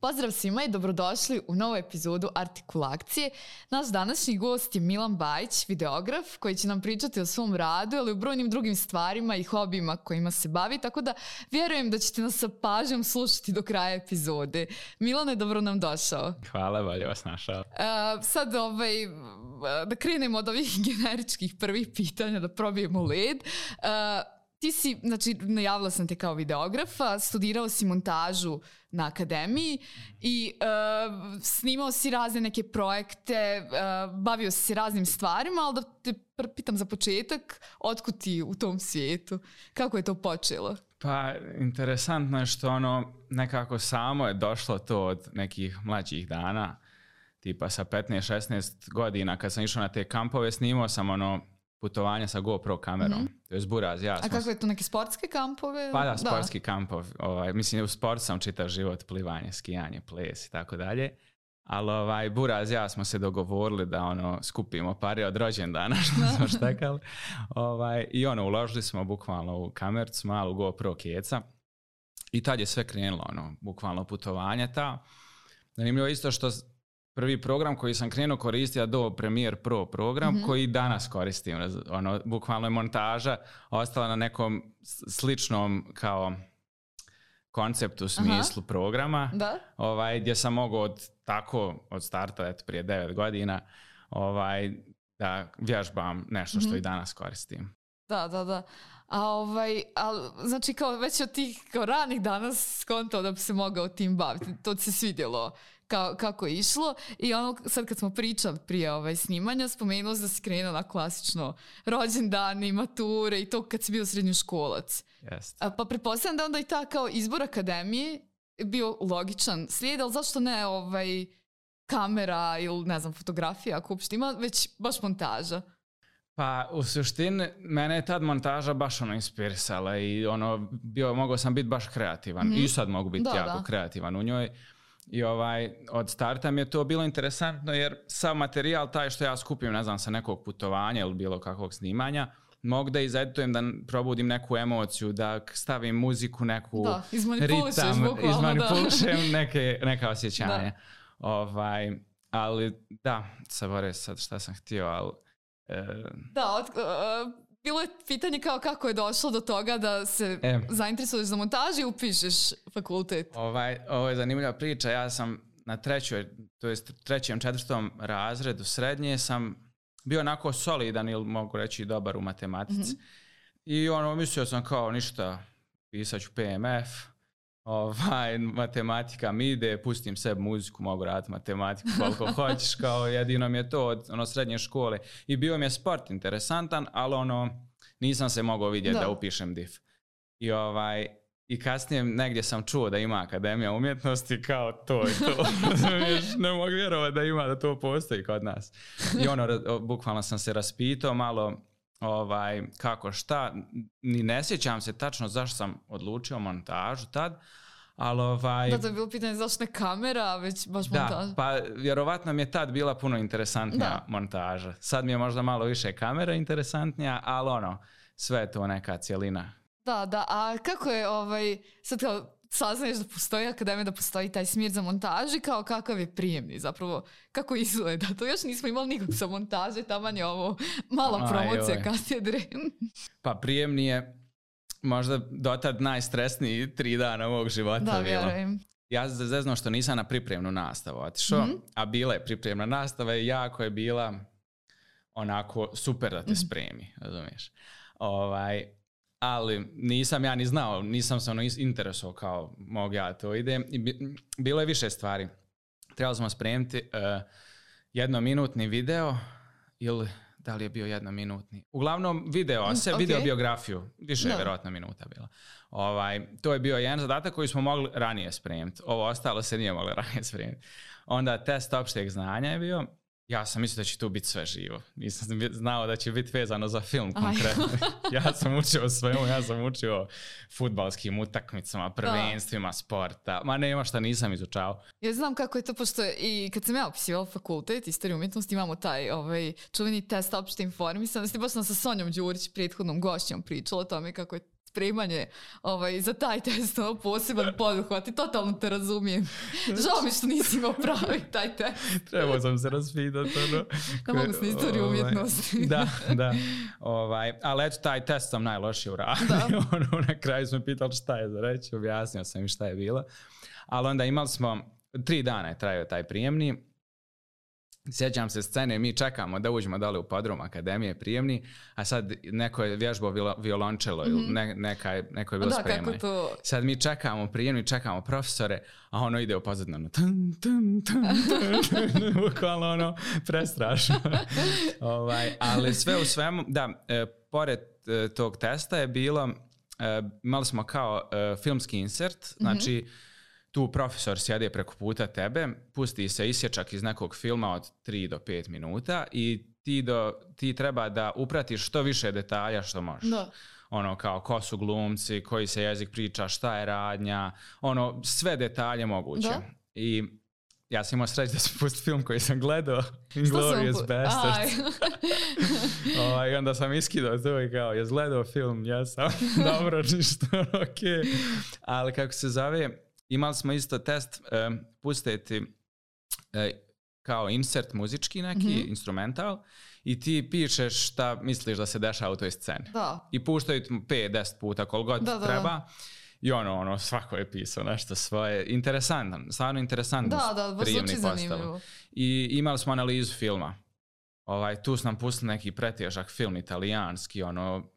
Pozdrav svima i dobrodošli u novu epizodu Artikulakcije. Naš današnji gost je Milan Bajić, videograf, koji će nam pričati o svom radu, ali i o brojnim drugim stvarima i hobijima kojima se bavi, tako da vjerujem da ćete nas sa pažnjom slušati do kraja epizode. Milane, dobro nam došao. Hvala, bolje vas našao. Sad da krenemo od ovih generičkih prvih pitanja, da probijemo led. Ti si, znači, najavila sam te kao videografa, studirao si montažu na akademiji i snimao si razne neke projekte, bavio si se raznim stvarima, ali da te pitam za početak, otkud ti u tom svijetu? Kako je to počelo? Pa, interesantno je što nekako samo je došlo to od nekih mlađih dana, tipa sa 15-16 godina kad sam išao na te kampove, snimao sam putovanja sa GoPro kamerom. To je buraz, ja. A kako je to, neke sportske kampove? Pa da, sportski kampov. Mislim, u sport sam čitav život, plivanje, skijanje, ples i tako dalje. Ali buraz, ja smo se dogovorili da skupimo pare od rođendana što smo štekali. I uložili smo bukvalno u kamercu, malu GoPro keca. I tad je sve krenulo, bukvalno putovanje ta. Zanimljivo isto što prvi program koji sam krenuo koristiti je Adobe Premiere Pro program koji danas koristim. Bukvalno je montaža ostala na nekom sličnom kao konceptu, smislu programa. Da? Gdje sam mogao od starta prije 9 godina da vježbam nešto što i danas koristim. Da. Znači kao već od tih kao ranih danas skontao da bi se mogao tim baviti. To ti se svidjelo kako je išlo. I sad kad smo pričali prije snimanja, spomenuo da si krenuo na klasično rođendani, mature i to kad si bio srednjoškolac. Yes. Pa pretpostavljam da onda i ta kao izbor akademije bio logičan slijed, ali zašto ne kamera ili ne znam fotografija ako uopšte ima, već baš montaža? Pa u suštini mene je tad montaža baš inspirisala i mogao sam biti baš kreativan i sad mogu biti jako kreativan u njoj. I od starta mi je to bilo interesantno jer sav materijal taj što ja skupim, ne znam, sa nekog putovanja ili bilo kakvog snimanja, mogu da izeditujem, da probudim neku emociju, da stavim muziku, neku ritam, izmanipulišem neka osjećanja. Ali da, sad šta sam htio, ali... Bilo je pitanje kako je došlo do toga da se zainteresuješ za montažu i upišeš fakultet. Ovo je zanimljiva priča. Ja sam na trećem, četvrtom razredu srednje sam bio onako solidan ili mogu reći dobar u matematici. I mislio sam kao ništa, pisat ću PMF, matematika mi ide, pustim sebi muziku, mogu raditi matematiku koliko hoćeš, kao jedino mi je to od srednje škole. I bio mi je sport interesantan, ali nisam se mogao vidjeti da upišem DIF. I kasnije negdje sam čuo da ima Akademija umjetnosti, kao to i to. Ne mogu vjerovati da ima, da to postoji kod nas. I bukvalno sam se raspitao malo kako šta, ni ne sjećam se tačno zašto sam odlučio montažu tad, ali Da, to je bilo pitanje zašto ne kamera, već baš montaža. Da, pa vjerovatno mi je tad bila puno interesantnija montaža. Sad mi je možda malo više kamera interesantnija, ali sve je to neka cjelina. Da, a kako je sad kao saznaješ da postoji akademija, da postoji taj smjer za montaži, kao kakav je prijemni zapravo, kako izgleda? To još nismo imali nikog sa montaže, taman je ovo mala promocija katedre. Pa prijemni je možda dotad najstresniji 3 dana ovog života. Da, vjerujem. Ja se zeznao što nisam na pripremnu nastavu otišao, a bila je pripremna nastava i jako je bila onako super da te spremi, razumiješ? Ali nisam ja ni znao, nisam se interesovao kao mogu ja to idem. I bilo je više stvari. Trebali smo spremiti jednominutni video ili da li je bio jednominutni. Uglavnom video biografiju, više je vjerojatno minuta bila. To je bio jedan zadatak koji smo mogli ranije spremiti. Ovo ostalo se nije moglo ranije spremiti. Onda test opšteg znanja je bio. Ja sam mislio da će tu biti sve živo. Nisam znao da će biti vezano za film konkretno. Ja sam učio svemu, ja sam učio fudbalskim utakmicama, prvenstvima, sporta. Ma nema šta nisam izučao. Ja znam kako je to, pošto i kad sam ja upisivala fakultet istoriju umjetnosti, imamo taj čuveni test opšte informisanosti. Baš sam sa Sonjom Đurić, prethodnom gošćom, pričala o tome kako je spremanje za taj test, poseban poduhvat i totalno te razumijem. Žao mi što nisi imao pravi taj test. Trebao sam se raspitati. Da mogu sam istoriju umjetnosti. Da. Ali eto, taj test sam najlošije uradio. Na kraju smo pitali šta je za reći, objasnio sam im šta je bilo. Ali onda imali smo, 3 dana je trajao taj prijemni. Sjećam se scene, mi čekamo da uđemo dole u podrum akademije prijemni, a sad neko je vježbao violončelo ili neko je bilo spremanje. Sad mi čekamo prijemni, čekamo profesore, a ono ide u pozadnju. Bukvalno prestrašno. Ali sve u svemu, da, pored tog testa je bilo, imali smo kao filmski insert, znači tu profesor sjede preko puta tebe, pusti se isječak iz nekog filma od 3 do 5 minuta i ti treba da upratiš što više detalja što možeš. Da. Kao ko su glumci, koji se jezik priča, šta je radnja, sve detalje moguće. Da. I ja sam imao sreći da sam pustio film koji sam gledao, Inglourious Basterds. I onda sam iskidao to i kao, jes gledao film? Jesam. Dobro, ništa, ok. Ali kako se zove, imali smo isto test pustiti kao insert muzički neki, instrumental, i ti pišeš šta misliš da se dešava u toj sceni. Da. I puštaju 5-10 puta koliko god treba. I svako je pisao nešto svoje. Interesantan, stvarno interesantan prijemni postav. I imali smo analizu filma. Tu su nam pustili neki pretježak film italijanski,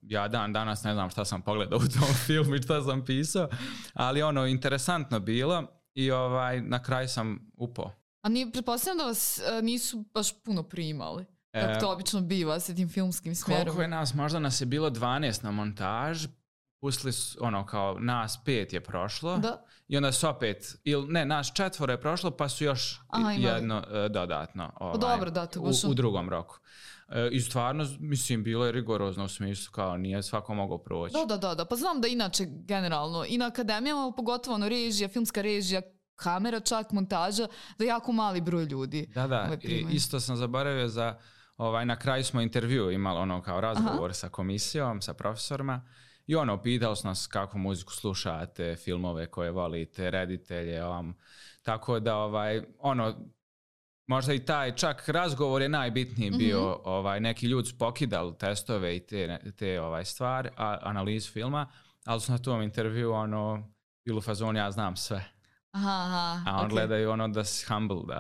ja dan danas ne znam šta sam pogledao u tom filmu i šta sam pisao, ali interesantno bilo i na kraju sam upao. A pretpostavljam da vas nisu baš puno primali, kako to obično biva s tim filmskim smjerom? Koliko je nas, možda nas je bilo 12 na montaž, pustili su, kao nas 5 je prošlo. Da. I onda su opet, nas 4 je prošlo, pa su još jedno dodatno u drugom roku. I stvarno, mislim, bilo je rigorozno u smislu, kao nije svako mogao proći. Da, pa znam da inače generalno i na akademijama, pogotovo režija, filmska režija, kamera, čak montaža, da je jako mali broj ljudi. Da, isto sam zaboravio za, na kraju smo intervju imali kao razgovor sa komisijom, sa profesorima. I pitali su nas kakvu muziku slušate, filmove koje volite, reditelje, tako da možda i taj čak razgovor je najbitniji bio, neki ljudi su pokidali testove i te stvari, analizu filma, ali su na tom intervju bilo u fazonu ja znam sve. A on gledaju da si humble,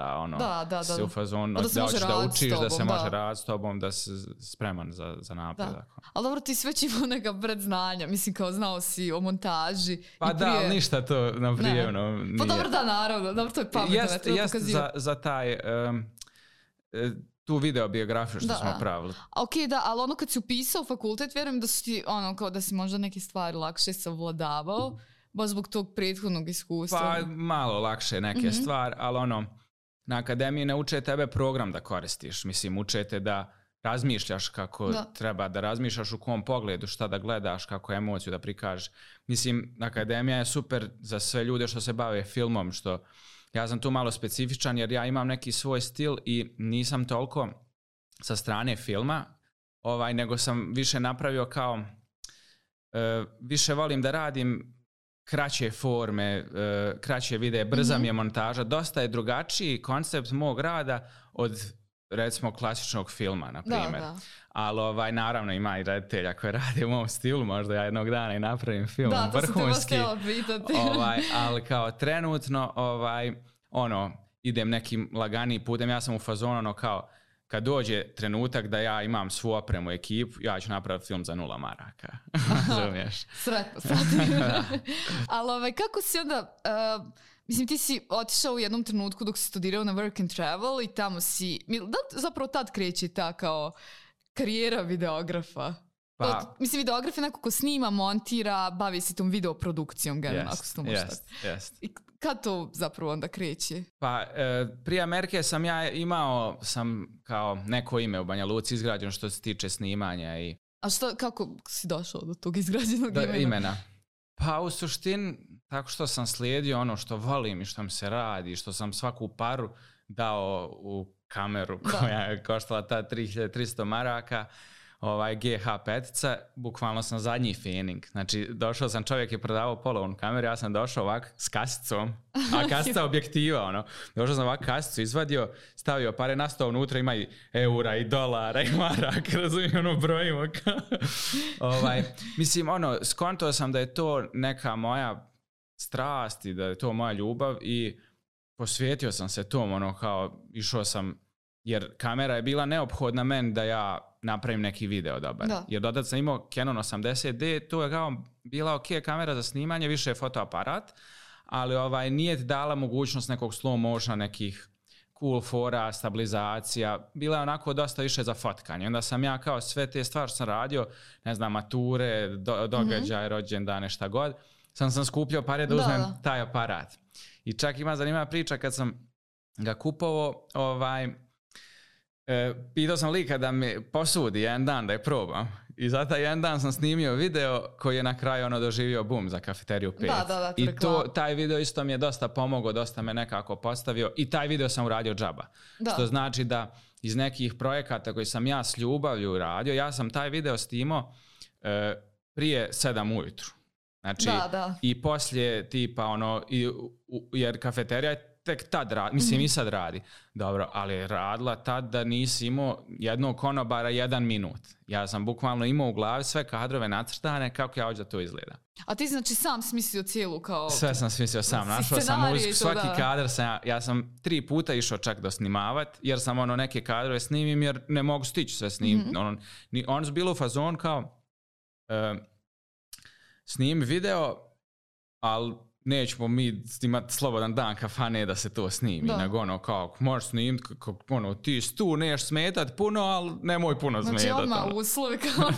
da si u fazonu, da hoćeš da učiš, da se može raditi s tobom, da si spreman za napredak. Ali dobro, ti sve imao neka predznanja, mislim kao znao si o montaži. Pa da, ali ništa to na prijemno nije. Pa dobro, da, naravno, dobro, to je pametno. Jest za taj, tu videobiografiju što smo pravili. Ok, da, ali kad si upisao fakultet, vjerujem da su ti, kao da si možda neke stvari lakše savladavao. Baš zbog tog prethodnog iskustva. Pa malo lakše neke stvari, ali na akademiji ne uče tebe program da koristiš. Mislim, uče te da razmišljaš kako treba da razmišljaš, u kom pogledu, šta da gledaš, kako emociju da prikažeš. Mislim, akademija je super za sve ljude što se bave filmom, što ja sam tu malo specifičan jer ja imam neki svoj stil i nisam toliko sa strane filma, nego sam više napravio kao, više volim da radim kraće forme, kraće videe, brza mi je montaža, dosta je drugačiji koncept mog rada od recimo klasičnog filma, na primjer. Ali naravno ima i reditelja koji rade u mom stilu, možda ja jednog dana i napravim film vrhunski. Ali kao trenutno idem nekim laganijim putem, ja sam u fazonu kao kad dođe trenutak da ja imam svu opremu ekipu, ja ću napraviti film za 0 maraka. Razumiješ? Sretno. Ali kako si onda, mislim ti si otišao u jednom trenutku dok si studirao na Work and Travel i tamo si, da zapravo tad kreće ta kao karijera videografa? Mislim, videograf je neko ko snima, montira, bavi se tom videoprodukcijom, ako se to može tako. I kad to zapravo onda kreće? Pa, prije Amerike sam ja imao kao neko ime u Banja Luci izgrađeno što se tiče snimanja i... A kako si došao do tog izgrađenog imena? Pa u suštini, tako što sam slijedio ono što volim i što mi se radi, što sam svaku paru dao u kameru koja je koštala ta 3300 maraka. GH5, bukvalno sam zadnji fening. Znači, došao sam, čovjek je prodavao polovnu kameru, ja sam došao ovak s kasicom, a kasica objektiva, ono. Došao sam ovak kasicu, izvadio, stavio pare na sto, unutra ima i eura, i dolara, i maraka, razumijem, ono, brojimo. Mislim, ono, skontao sam da je to neka moja strast i da je to moja ljubav i posvetio sam se tom, ono, kao, išao sam, jer kamera je bila neophodna meni da ja napravim neki video dobar. Da. Jer dodad sam imao Canon 80D, to je kao bila ok kamera za snimanje, više je fotoaparat, ali nije ti dala mogućnost nekog slow motiona, nekih cool fora, stabilizacija, bila je onako dosta više za fotkanje. Onda sam ja kao sve te stvari što sam radio, ne znam, mature, događaje, rođendane, šta god, sam skupljao pare da uzmem taj aparat. I čak ima zanimljiva priča kad sam ga kupovao, pitao sam lika da mi posudi jedan dan da je probam. I za taj jedan dan sam snimio video koji je na kraju doživio boom za Kafeteriju 5. I taj video isto mi je dosta pomogao, dosta me nekako postavio i taj video sam uradio džaba. Što znači da iz nekih projekata koji sam ja s ljubavlju radio, ja sam taj video snimao prije 7 ujutru. Znači, i poslije tipa jer Kafeterija je tek tad radi, mislim i sad radi. Dobro, ali je radila tad da nisi imao jednog konobara 1 minut. Ja sam bukvalno imao u glavi sve kadrove nacrtane kako ja hoću da to izgleda. A ti znači sam smislio cijelu kao... Sve sam smislio sam. Našao sam muziku, svaki kadar ja sam 3 puta išao čak da snimavat, jer sam neke kadrove snimim jer ne mogu stići sve snimiti. On su bilo u fazon kao snimi video, ali nećemo mi imati slobodan dan kafane da se to snimi. Nego kao, možeš snimiti, ti tu neš smetat puno, ali nemoj puno smetat. Znači odmah uslovi kao...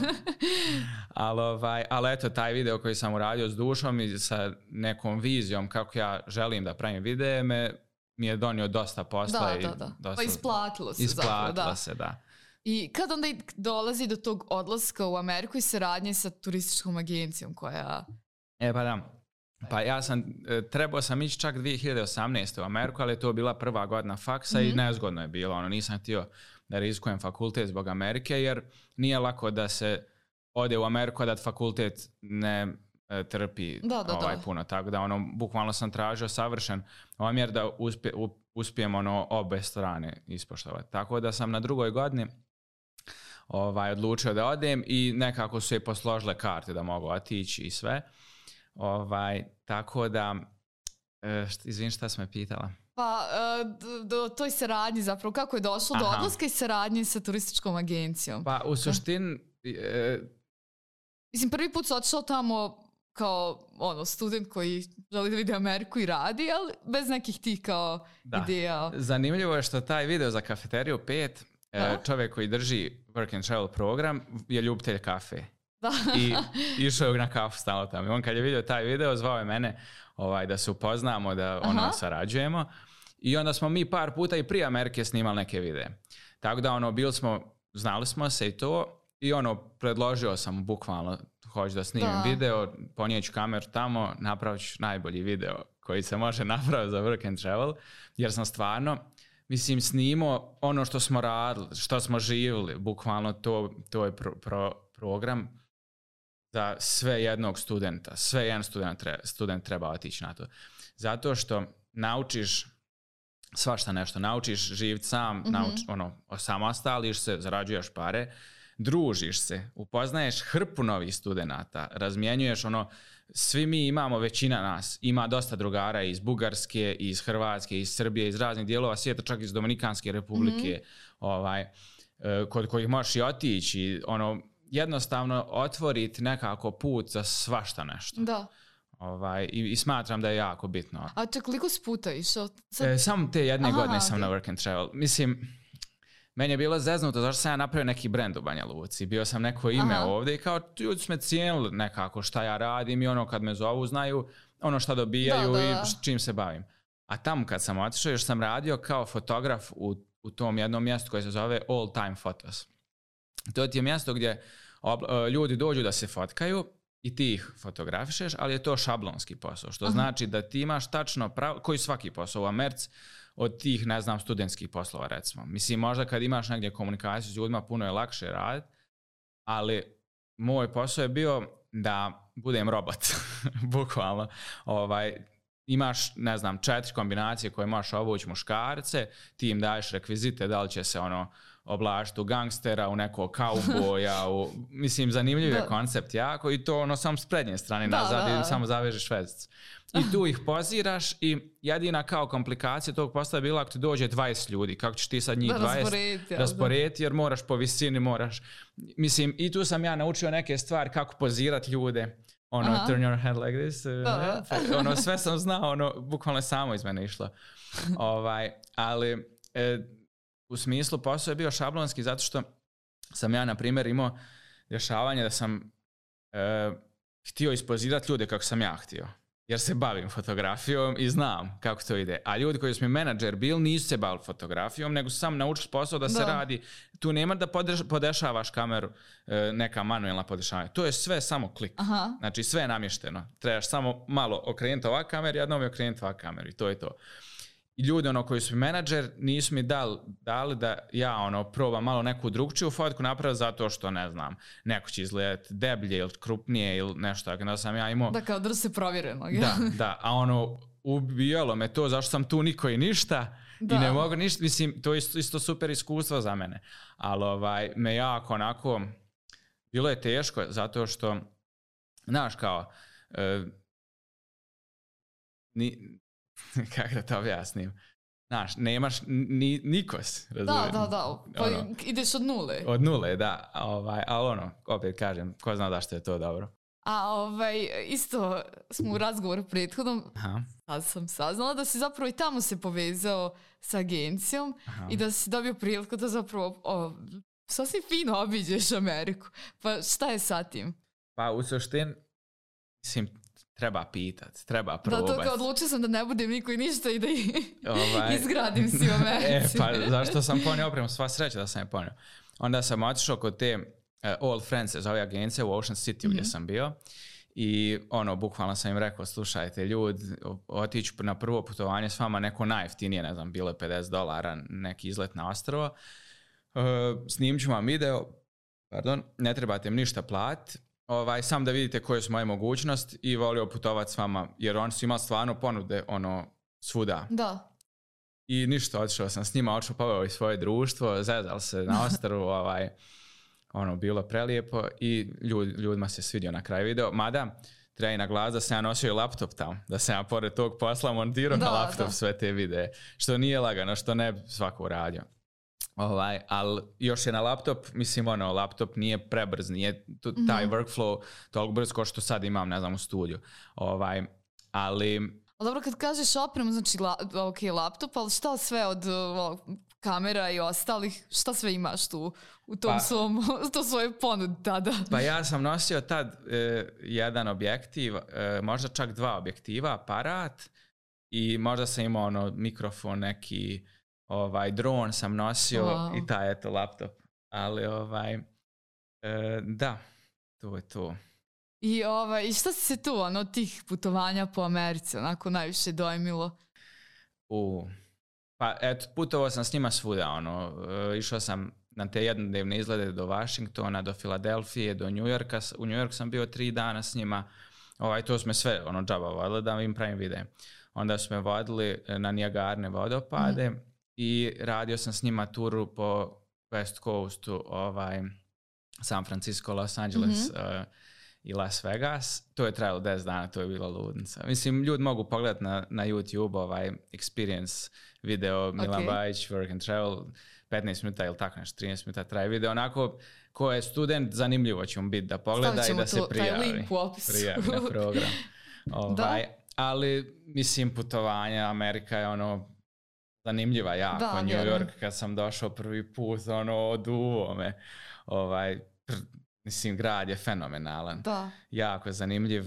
ali eto, taj video koji sam uradio s dušom i sa nekom vizijom kako ja želim da pravim videe mi je donio dosta posla. Da. Pa isplatilo se Isplatilo se, da. I kad onda dolazi do tog odlaska u Ameriku i saradnje sa turističkom agencijom koja... Pa da. Pa ja trebao sam ići čak 2018. u Ameriku, ali je to bila prva godina faksa i nezgodno je bilo. Nisam htio da rizikujem fakultet zbog Amerike, jer nije lako da se ode u Ameriku da fakultet ne trpi puno. Tako da bukvalno sam tražio savršen omjer da uspijem obe strane ispoštovati. Tako da sam na drugoj godini odlučio da odem i nekako su je posložile karte da mogu otići i sve. Tako da, izvini, šta si me pitala? Pa, do toj saradnji zapravo, kako je došlo do odlaska i saradnje sa turističkom agencijom? Pa, u suštini... Mislim, prvi put si otišao tamo kao student koji želi da vidi Ameriku i radi, ali bez nekih tih kao ideja. Zanimljivo je što taj video za Kafeteriju 5, čovjek koji drži Work and Travel program je ljubitelj kafe. I išao je na kafu stalno tamo. I on kad je vidio taj video, zvao je mene da se upoznamo, da sarađujemo. I onda smo mi par puta i prije Amerike snimali neke videe. Tako da bili smo, znali smo se i to. I predložio sam bukvalno, hoću da snimim video, ponijeću kameru tamo, napravit ću najbolji video koji se može napraviti za Work and Travel. Jer sam stvarno, mislim, snimao ono što smo radili, što smo živjeli. Bukvalno to je program za sve jednog studenta. Sve jedan student treba otići na to. Zato što naučiš svašta nešto. Naučiš živjeti sam, osamostališ se, zarađuješ pare, družiš se, upoznaješ hrpu novih studenata, razmjenjuješ svi mi imamo, većina nas, ima dosta drugara iz Bugarske, iz Hrvatske, iz Srbije, iz raznih dijelova svijeta, čak iz Dominikanske republike, kod kojih možeš i otići, jednostavno otvoriti nekako put za svašta nešto. Da. I smatram da je jako bitno. A koliko si puta išao? Samo te jedne godine sam na Work and Travel. Mislim, meni je bilo zeznuto zašto sam ja napravio neki brend u Banja Luci. Bio sam neko ime ovdje i kao ljudi su me cijenili nekako šta ja radim i kad me zovu znaju šta dobijaju i čim se bavim. A tamo kad sam otišao još sam radio kao fotograf u tom jednom mjestu koje se zove All Time Photos. To ti je mjesto gdje ljudi dođu da se fotkaju i ti ih fotografišeš, ali je to šablonski posao, što znači da ti imaš tačno koji svaki posao u Americi od tih, ne znam, studentskih poslova, recimo. Mislim, možda kad imaš negdje komunikaciju s ljudima, puno je lakše raditi, ali moj posao je bio da budem robot, bukvalno. Imaš, ne znam, 4 kombinacije koje možeš obući muškarce, ti im daješ rekvizite, da li će se oblačiti u gangstera, u nekog kauboja, mislim, zanimljiv je koncept jako i to samo s prednje strane nazad i samo zavežeš vezicu. I tu ih poziraš i jedina kao komplikacija tog posla je bila ako ti dođe 20 ljudi, kako ćeš ti sad njih 20 rasporediti jer moraš po visini, mislim, i tu sam ja naučio neke stvari kako pozirati ljude. Turn your head like this. Sve sam znao, bukvalno samo iz mene išlo. Ali u smislu posao je bio šablonski zato što sam ja, na primjer, imao dešavanje da sam htio ispozirati ljude kako sam ja htio. Jer se bavim fotografijom i znam kako to ide. A ljudi koji su mi menadžer bili nisu se bavili fotografijom, nego su sam naučili posao da se radi. Tu nema da podešavaš kameru, neka manuelna podešavanja. To je sve samo klik. Aha. Znači sve je namješteno. Trebaš samo malo okrenuti ovak kamer, jednom je okrenuti ovak kamer i to je to. I ljudi koji su mi menadžer nisu mi dali da ja probam malo neku drugčiju fotku napraviti zato što, ne znam, neko će izgledati deblje ili krupnije ili nešto tako. Da sam ja imao... Da, kao da se provjereno. Da. A ubijalo me to zašto sam tu niko i ništa i ne mogu ništa. Mislim, to je isto super iskustvo za mene. Ali me jako onako... Bilo je teško zato što, znaš, kao... kako da to objasnim? Znaš, nemaš nikos, razumijem. Da. Pa ideš od nule. Od nule, da. Ali opet kažem, ko zna da što je to dobro. A isto smo u razgovoru prethodnom, sad sam saznala da si zapravo i tamo se povezao sa agencijom i da si dobio priliku da zapravo sasvim fino obiđeš Ameriku. Pa šta je sa tim? Pa u suštini, mislim, treba pitat, treba probati. Da, to odlučio sam da ne budem niko i ništa i da izgradim si u Americi. Pa zašto sam ponio opremu, sva sreća da sam je ponio. Onda sam otišao kod te Old Friends, zove agencije u Ocean City gdje sam bio. I bukvalno sam im rekao, slušajte ljudi, otići na prvo putovanje s vama neko najjeftinije, ne znam, bilo je $50, neki izlet na ostrvo. Snimit ću vam video, ne trebate im ništa platiti. Sam da vidite koje su moje mogućnosti i volio putovati s vama, jer oni su imali stvarno ponude svuda. Da. I ništa, otišao sam s njima, poveo i svoje društvo, zezal se na ostrvu, bilo prelijepo i ljudima se svidio na kraju video. Mada, treba i na glas da sam ja nosio i laptop tamo, da sam ja pored tog posla montirao na laptop sve te videe, što nije lagano, što ne bi svako uradio. Ali još je na laptop, mislim, laptop nije prebrz, nije taj workflow toliko brz kao što sad imam, ne znam, u studiju. Ali dobro, kad kažeš opremu, znači laptop, ali šta sve od kamera i ostalih, šta sve imaš tu u tom svojoj ponudi tada? Pa ja sam nosio tad jedan objektiv, možda čak 2 objektiva, aparat i možda sam imao mikrofon neki, dron sam nosio i taj laptop. Ali da, to je to. I šta si se tu tih putovanja po Americi onako najviše dojmilo? Pa eto, putovao sam s njima svuda. Išao sam na te jednodnevne izlete do Washingtona, do Filadelfije, do New Yorka. U New York sam bio 3 dana s njima. To smo sve džaba vodili da im pravim videe. Onda su me vodili na Niagarne vodopade i radio sam s njima turu po West Coastu, San Francisco, Los Angeles i Las Vegas. To je trajalo 10 dana, to je bila ludnica. Mislim, ljudi mogu pogledati na YouTube experience video Milan Bajić, Work and Travel, 15 minuta ili tako nešto, 13 minuta traje video. Onako, ko je student, zanimljivo će mu biti da pogleda i da se prijavi na program. Ali, mislim, putovanje, Amerika je zanimljiva jako. New York, kad sam došao prvi put, oduvo me. Mislim, grad je fenomenalan. Da. Jako zanimljiv.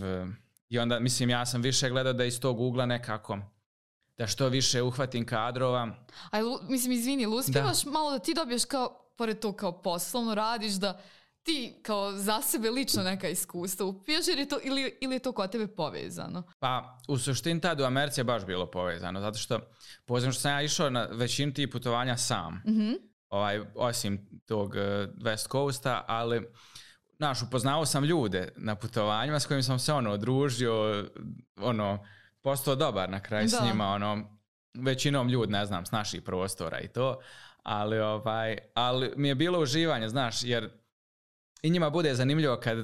I onda, mislim, ja sam više gledao da iz tog ugla nekako, da što više uhvatim kadrova. Mislim, izvini, uspijevaš malo da ti dobiješ kao, pored to kao poslovno radiš, da ti kao za sebe lično neka iskustva upiješ ili je to kod tebe povezano? Pa, u suštini tad u Americi je baš bilo povezano, zato što poznam što sam ja išao na većinu tih putovanja sam. Osim tog West Coasta, ali upoznao sam ljude na putovanjima s kojim sam se družio, postao dobar na kraju s njima, većinom ljudi, ne znam, s naših prostora i to, ali mi je bilo uživanje, znaš, jer i njima bude zanimljivo kad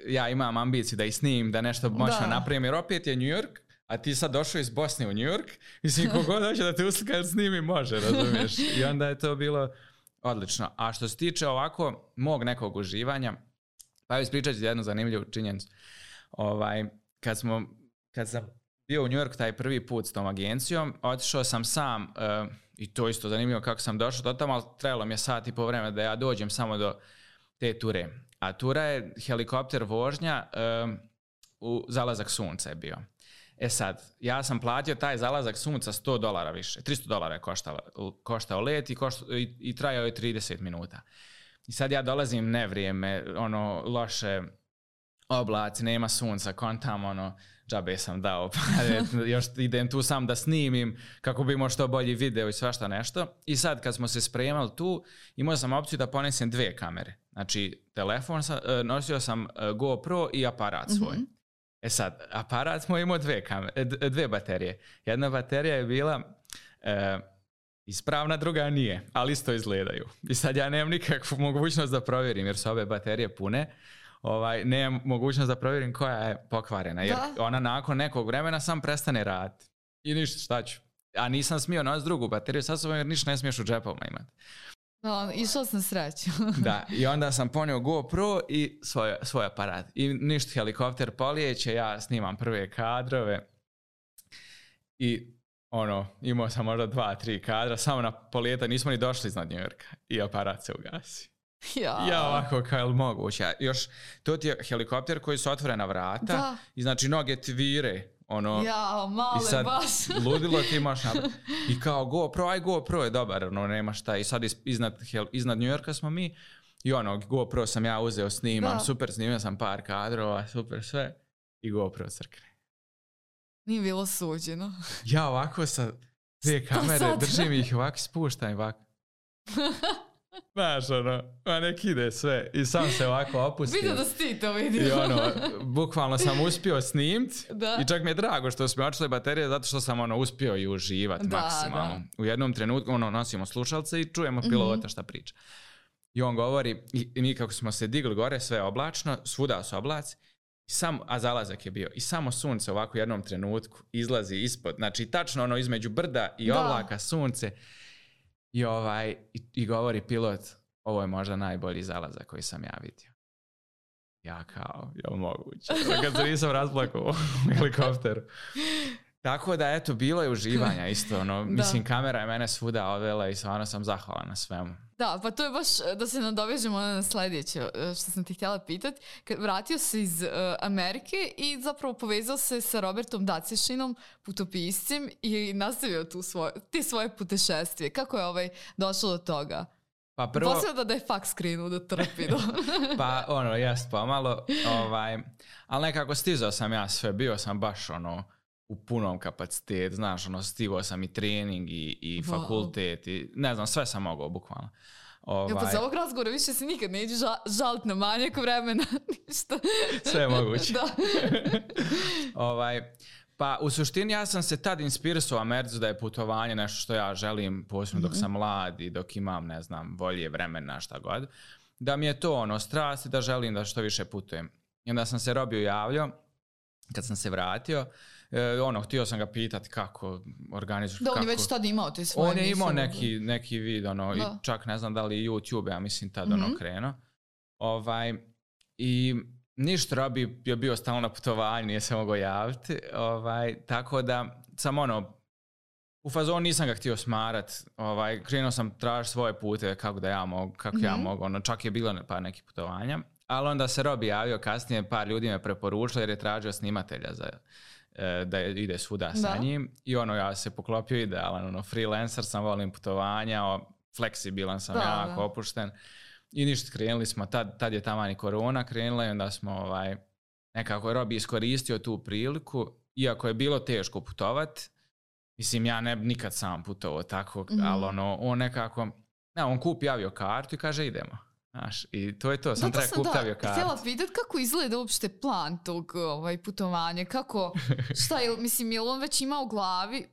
ja imam ambiciju da ih snimim, da nešto moćno napravim, jer opet je New York, a ti sad došao iz Bosne u New York, mislim, kogod hoće da te uslika snimi, može, razumiješ? I onda je to bilo odlično. A što se tiče ovako mog nekog uživanja, pa ispričat ću jednu zanimljivu činjenicu. Kad sam bio u New York taj prvi put s tom agencijom, otišao sam sam, i to isto zanimljivo kako sam došao do tamo, ali trebalo mi je sat i po vremena da ja dođem samo do te ture. A tura je helikopter vožnja, u zalazak sunca je bio. Sad, ja sam platio taj zalazak sunca $100 više. $300 je koštao let i trajao je 30 minuta. I sad ja dolazim nevrijeme, loše oblaci, nema sunca, kontam, džabe sam dao, pa još idem tu sam da snimim kako bi imao što bolji video i svašta nešto. I sad kad smo se spremali tu, imao sam opciju da ponesem 2 kamere. Znači, telefon, nosio sam GoPro i aparat svoj. Sad, aparat smo imao 2 baterije. Jedna baterija je bila ispravna, druga nije, ali isto izgledaju. I sad ja nemam nikakvu mogućnost da provjerim, jer su ove baterije pune. Nemam mogućnost da provjerim koja je pokvarena, jer ona nakon nekog vremena sam prestane raditi. I ništa, šta ću. A nisam smio nositi drugu bateriju sa sobom, jer ništa ne smiješ u džepovima imati. Išao sam sreću. Da, i onda sam ponio GoPro i svoj aparat. I ništa, helikopter polijeće, ja snimam prve kadrove i imao sam možda 2-3 kadra, samo na polijeta nismo ni došli iznad New Yorka i aparat se ugasi. Ja ovako, kao je li moguće? Još, to ti je helikopter koji su otvorena vrata i znači noge ti vire. Male i sad, baš. Ludilo ti imaš i kao GoPro je dobar, nema šta. I sad iznad New Yorka smo mi i GoPro sam ja uzeo, snimam, super, snimio sam par kadrova, super sve i GoPro crkne. Nije bilo suđeno. Ja ovako sa 2 kamere držim ih ovako, spuštam i ovako. Znaš, nek ide sve. I sam se ovako opustio. Vidio da si ti to vidio. I bukvalno sam uspio snimt. I čak mi je drago što su mi očile baterije, zato što sam uspio i uživati maksimalno. U jednom trenutku nosimo slušalce i čujemo pilota šta priča. I on govori, i mi kako smo se digli gore, sve oblačno, svuda su oblaci, a zalazak je bio. I samo sunce ovako u jednom trenutku izlazi ispod. Znači, tačno između brda i oblaka sunce. I govori pilot, ovo je možda najbolji zalazak koji sam ja vidio. Ja kao, je li moguće? Kad se nisam razplakao u helikopteru. Tako da, eto, bilo je uživanja isto. Mislim, kamera je mene svuda odvela i stvarno sam zahvalan na svemu. Da, pa to je baš da se nadovežemo na sljedeće što sam ti htjela pitati. Vratio se iz Amerike i zapravo povezao se sa Robertom Dacišinom, putopiscem, i nastavio te svoje putešestvije. Kako je došlo do toga? Pa prvo... Posljeda da je faks krenuo da trpi. Pa jest pomalo. Ali nekako stizao sam ja sve. Bio sam baš u punom kapacitetu, znaš, stigao sam i trening i fakultet i ne znam, sve sam mogao bukvalno. Pa za ovog razgovora više se nikad neđe žaliti na manjak vremena, ništa. Sve je moguće. Pa u suštini ja sam se tad inspirisao u Americi da je putovanje nešto što ja želim, posebno dok sam mlad i dok imam, ne znam, volje, vremena, šta god. Da mi je to strast i da želim da što više putujem. I onda sam se Robiju javljao, kad sam se vratio, htio sam ga pitati kako organizuješ. Da, on je već tad imao te svoje emisije. On je imao neki vid, i čak ne znam da li YouTube, ja mislim tad krenuo. I ništa, Robi je bio stalno na putovanju, nije se mogao javiti. Tako da sam u fazonu nisam ga htio smarat. Krenuo sam tražiti svoje pute kako da ja mogu, ja mogu. Čak je bilo par nekih putovanja. Ali onda se Robi javio kasnije, par ljudi me preporučilo jer je tražio snimatelja da ide svuda sa njim. I ja se poklopio idealan, freelancer sam, volim putovanja, fleksibilan sam, jako opušten. I ništa, krenuli smo, tad je taman i korona krenula i onda smo nekako Robi iskoristio tu priliku, iako je bilo teško putovat. Mislim, ja ne bi nikad sam putovao tako, ali on nekako, on kupi aviokartu i kaže idemo. Znaš, i to je to, sam treba kuptavio kartu. Htjela pitat kako izgleda uopšte plan tog putovanja, kako, šta je, mislim, je li on već ima u glavi,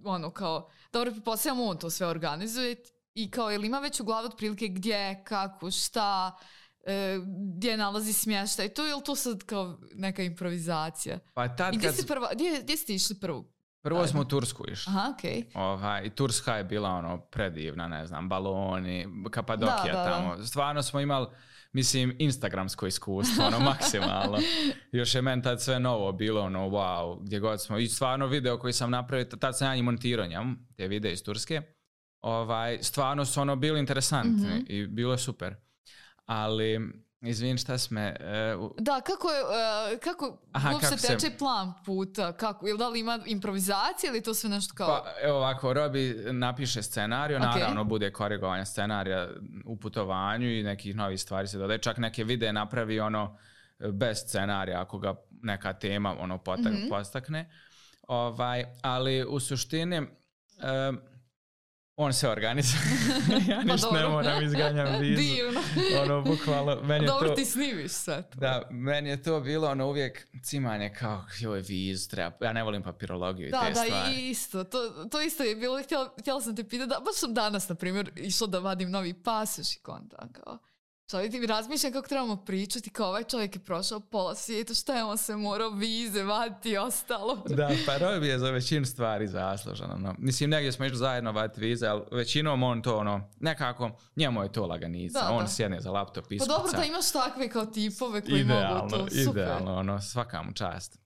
ono kao, dobro, pretpostavljam on to sve organizuje i kao, je li ima već u glavi otprilike gdje, kako, šta, gdje nalazi smještaj, to je li to sad kao neka improvizacija? Pa tad i gdje ste išli prvo? Prvo smo u Tursku išli. Aha, okej. I Turska je bila ono predivna, ne znam, baloni, Kapadokija tamo. Stvarno smo imali, mislim, instagramsko iskustvo, ono, maksimalno. Još je meni tad sve novo bilo, ono, wow, gdje god smo. I stvarno video koji sam napravio, tad sam ja i montirao njemu, te videe iz Turske. Stvarno su ono bili interesantni i bilo je super. Ali... Izvin, šta sme... Da, kako uopšte teče plan puta? Ili da li ima improvizacija ili to sve nešto kao... Pa, evo ovako, Robi napiše scenariju, naravno bude korigovanje scenarija u putovanju i nekih novih stvari se dodaje. Čak neke videe napravi ono bez scenarija ako ga neka tema ono postakne. Ali u suštini... on se organizuje. Ja ništa ne moram, izganjam vizu. Divno. Ono, bukvalno, meni je to... Dobro, ti snimiš sad. Da, meni je to bilo ono uvijek cimanje kao, joj, vizu treba. Ja ne volim papirologiju i te stvari. Da, isto. To isto je bilo. Htjela sam te pitati, baš sam danas, na primjer, išla da vadim novi pasoš i konta, kao... Čovjek mi razmišljam kako trebamo pričati, kao ovaj čovjek je prošao pola svijeta, šta je on se morao vize vaditi i ostalo. Da, pa Robi je za većinu stvari zaslužan. No. Mislim, negdje smo išli zajedno vaditi vize, ali većinom on to ono, nekako, njemu je to laganica. On sjedne za laptop, iskuca. Pa dobro da imaš takve kao tipove koji mogu to, super. Idealno, ono, svaka mu čast.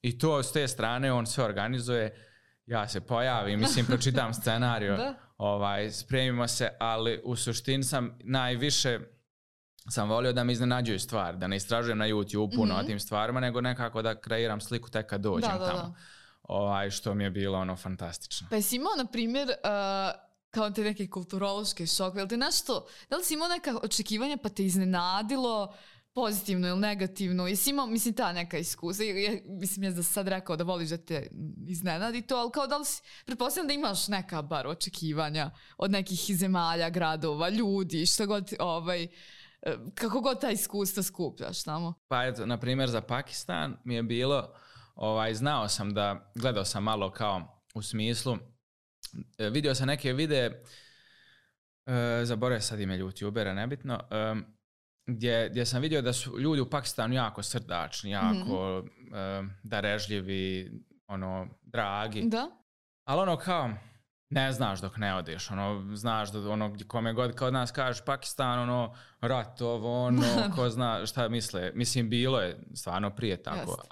I to s te strane on sve organizuje, ja se pojavim, mislim, pročitam scenariju. Spremimo se, ali u suštini najviše sam volio da me iznenađuju stvari, da ne istražujem na YouTube puno o tim stvarima, nego nekako da kreiram sliku tek kad dođem tamo. Što mi je bilo ono fantastično. Pa jesi imao, na primjer, kao te neke kulturološke šokove, ili te nešto, da li si imao neka očekivanja pa te iznenadilo, pozitivno ili negativno? Jesi imao, mislim, ta neka iskustva? Mislim, ja da sad rekao da voliš da te iznenadi to, ali kao da li si, pretpostavljam da imaš neka bar očekivanja od nekih zemalja, gradova, ljudi, što god, kako god ta iskustva skupljaš tamo? Pa eto, na primjer, za Pakistan mi je bilo, znao sam da, gledao sam malo kao u smislu, vidio sam neke videe, zaboravio sad ime YouTubera, nebitno, gdje sam vidio da su ljudi u Pakistanu jako srdačni, jako darežljivi, ono, dragi. Da. Ali ono kao, ne znaš dok ne odeš, ono, znaš da ono, kome god kod nas kažeš Pakistan, ono, rat, ovo, ono, ko zna šta misle. Mislim, bilo je stvarno prije tako,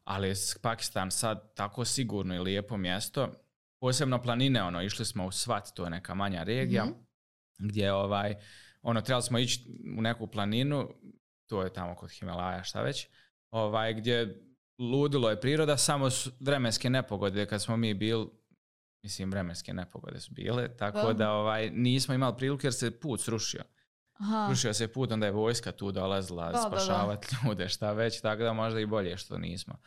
ali je Pakistan sad tako sigurno i lijepo mjesto, posebno planine, ono, išli smo u Svat, to je neka manja regija, gdje trebali smo ići u neku planinu, to je tamo kod Himalaja, šta već, gdje ludilo je priroda, samo vremenske nepogode kad smo mi bili, mislim, vremenske nepogode su bile, tako da nismo imali priliku jer se put srušio. Srušio se put, onda je vojska tu dolazila spašavati ljude, šta već, tako da možda i bolje što nismo.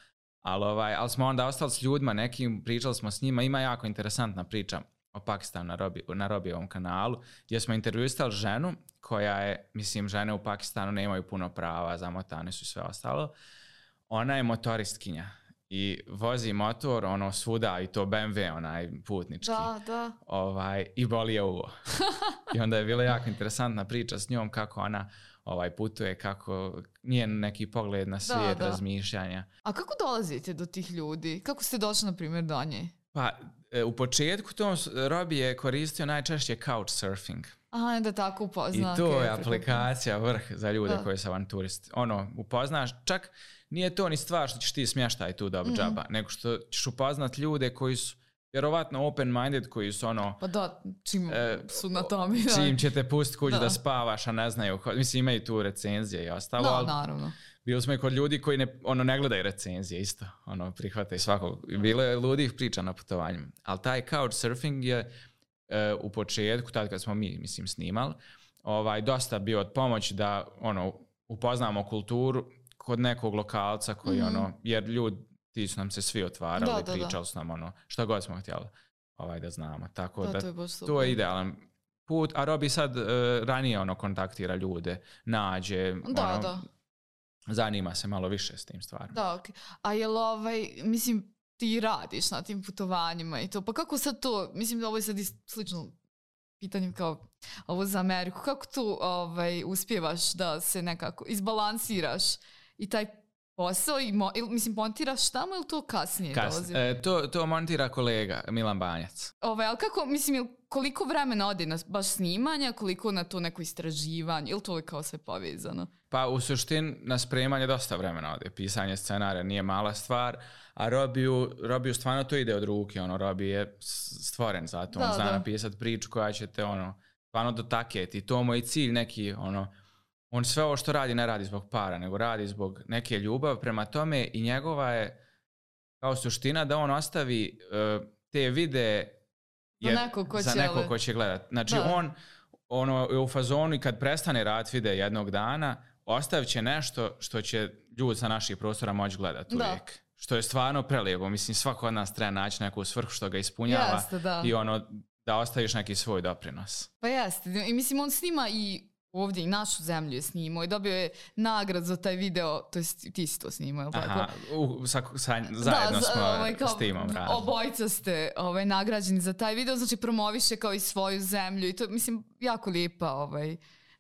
Ali smo onda ostali s ljudima nekim, pričali smo s njima, ima jako interesantna priča o Pakistanu na Robijevom kanalu, gdje smo intervjuisali ženu koja je, mislim, žene u Pakistanu nemaju puno prava, zamotane su i sve ostalo. Ona je motoristkinja i vozi motor ono svuda i to BMW, onaj putnički. Da. I boli je uvo. I onda je bila jako interesantna priča s njom kako ona putuje, kako njen neki pogled na svijet, razmišljanja. A kako dolazite do tih ljudi? Kako ste došli, na primjer, do nje? Pa, u početku Robi je koristio najčešće couchsurfing. Aha, da tako upozna. I to je aplikacija vrh za ljude koji su avanturisti. Ono, upoznaš, čak nije to ni stvar što ćeš ti smještaj tu dobiti džaba, nego što ćeš upoznat ljude koji su vjerovatno open-minded, koji su ono... Pa da, čim su na tome. Čim će te pustiti kući da spavaš, a ne znaju. Mislim, imaju tu recenzije i ostalo. Da, naravno. Bili smo i kod ljudi koji ne gledaju recenzije isto. Prihvate svakog. Bilo je ludih priča na putovanju. Ali taj couchsurfing je u početku, tad kad smo mi, mislim, snimali, dosta bio od pomoći da upoznamo kulturu kod nekog lokalca koji jer ljudi ti su nam se svi otvarali, pričali su nam šta god smo htjeli da znamo. Tako da to je idealan put, a Robi sad ranije kontaktira ljude, nađe, Da. Zanima se malo više s tim stvarima. Da, okay. A jel mislim, ti radiš na tim putovanjima i to, pa kako sad to, mislim da ovo je sad slično pitanje kao ovo za Ameriku, kako tu uspijevaš da se nekako izbalansiraš i taj posao, mislim, montiraš tamo ili to kasnije dolazi? To montira kolega Milan Banjac. Ali kako, mislim, koliko vremena ode na baš snimanja, koliko na to neko istraživanje, ili to je kao sve povezano? Pa u suštini na spremanje dosta vremena ode. Pisanje scenarija nije mala stvar, a Robiju stvarno to ide od ruke. Robi je stvoren za to. On zna napisati priču koja će te stvarno dotaketi. To mu je cilj neki, on sve ovo što radi ne radi zbog para, nego radi zbog neke ljubavi prema tome i njegova je kao suština da on ostavi te videe za neko ko će gledati. Znači on je u fazonu i kad prestane raditi videe jednog dana, ostavit će nešto što će ljudi sa naših prostora moći gledati uvijek. Što je stvarno prelijepo. Mislim, svako od nas treba naći neku svrhu što ga ispunjava i da ostaviš neki svoj doprinos. Pa jeste. I mislim, on snima i ovdje i našu zemlju je snimao i dobio je nagrad za taj video, to jest ti si to snimao, je li tako? Aha, zajedno smo s timom radili. Obojica ste nagrađeni za taj video, znači promoviše kao i svoju zemlju i to, mislim, jako lijepa,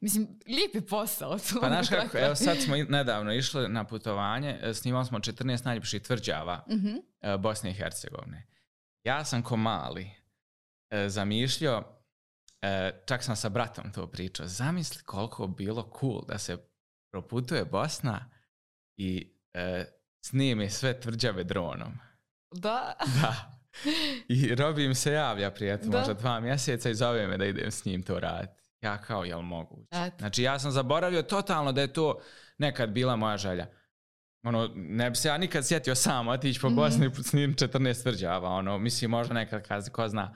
mislim, lijepi posao. Pa znaš kako, evo sad smo nedavno išli na putovanje, snimali smo 14 najljepših tvrđava Bosne i Hercegovine. Ja sam ko mali zamišljao, čak sam sa bratom to pričao, zamisli koliko bilo cool da se proputuje Bosna i snimi sve tvrđave dronom. Da. I Robi im se javlja prijatelj možda 2 mjeseca i zove me da idem s njim to raditi. Ja kao, jel moguće? Znači ja sam zaboravio totalno da je to nekad bila moja želja. Ne bi se ja nikad sjetio sam otići po Bosni s njim 14 tvrđava, mislim možda nekad kazi, ko zna,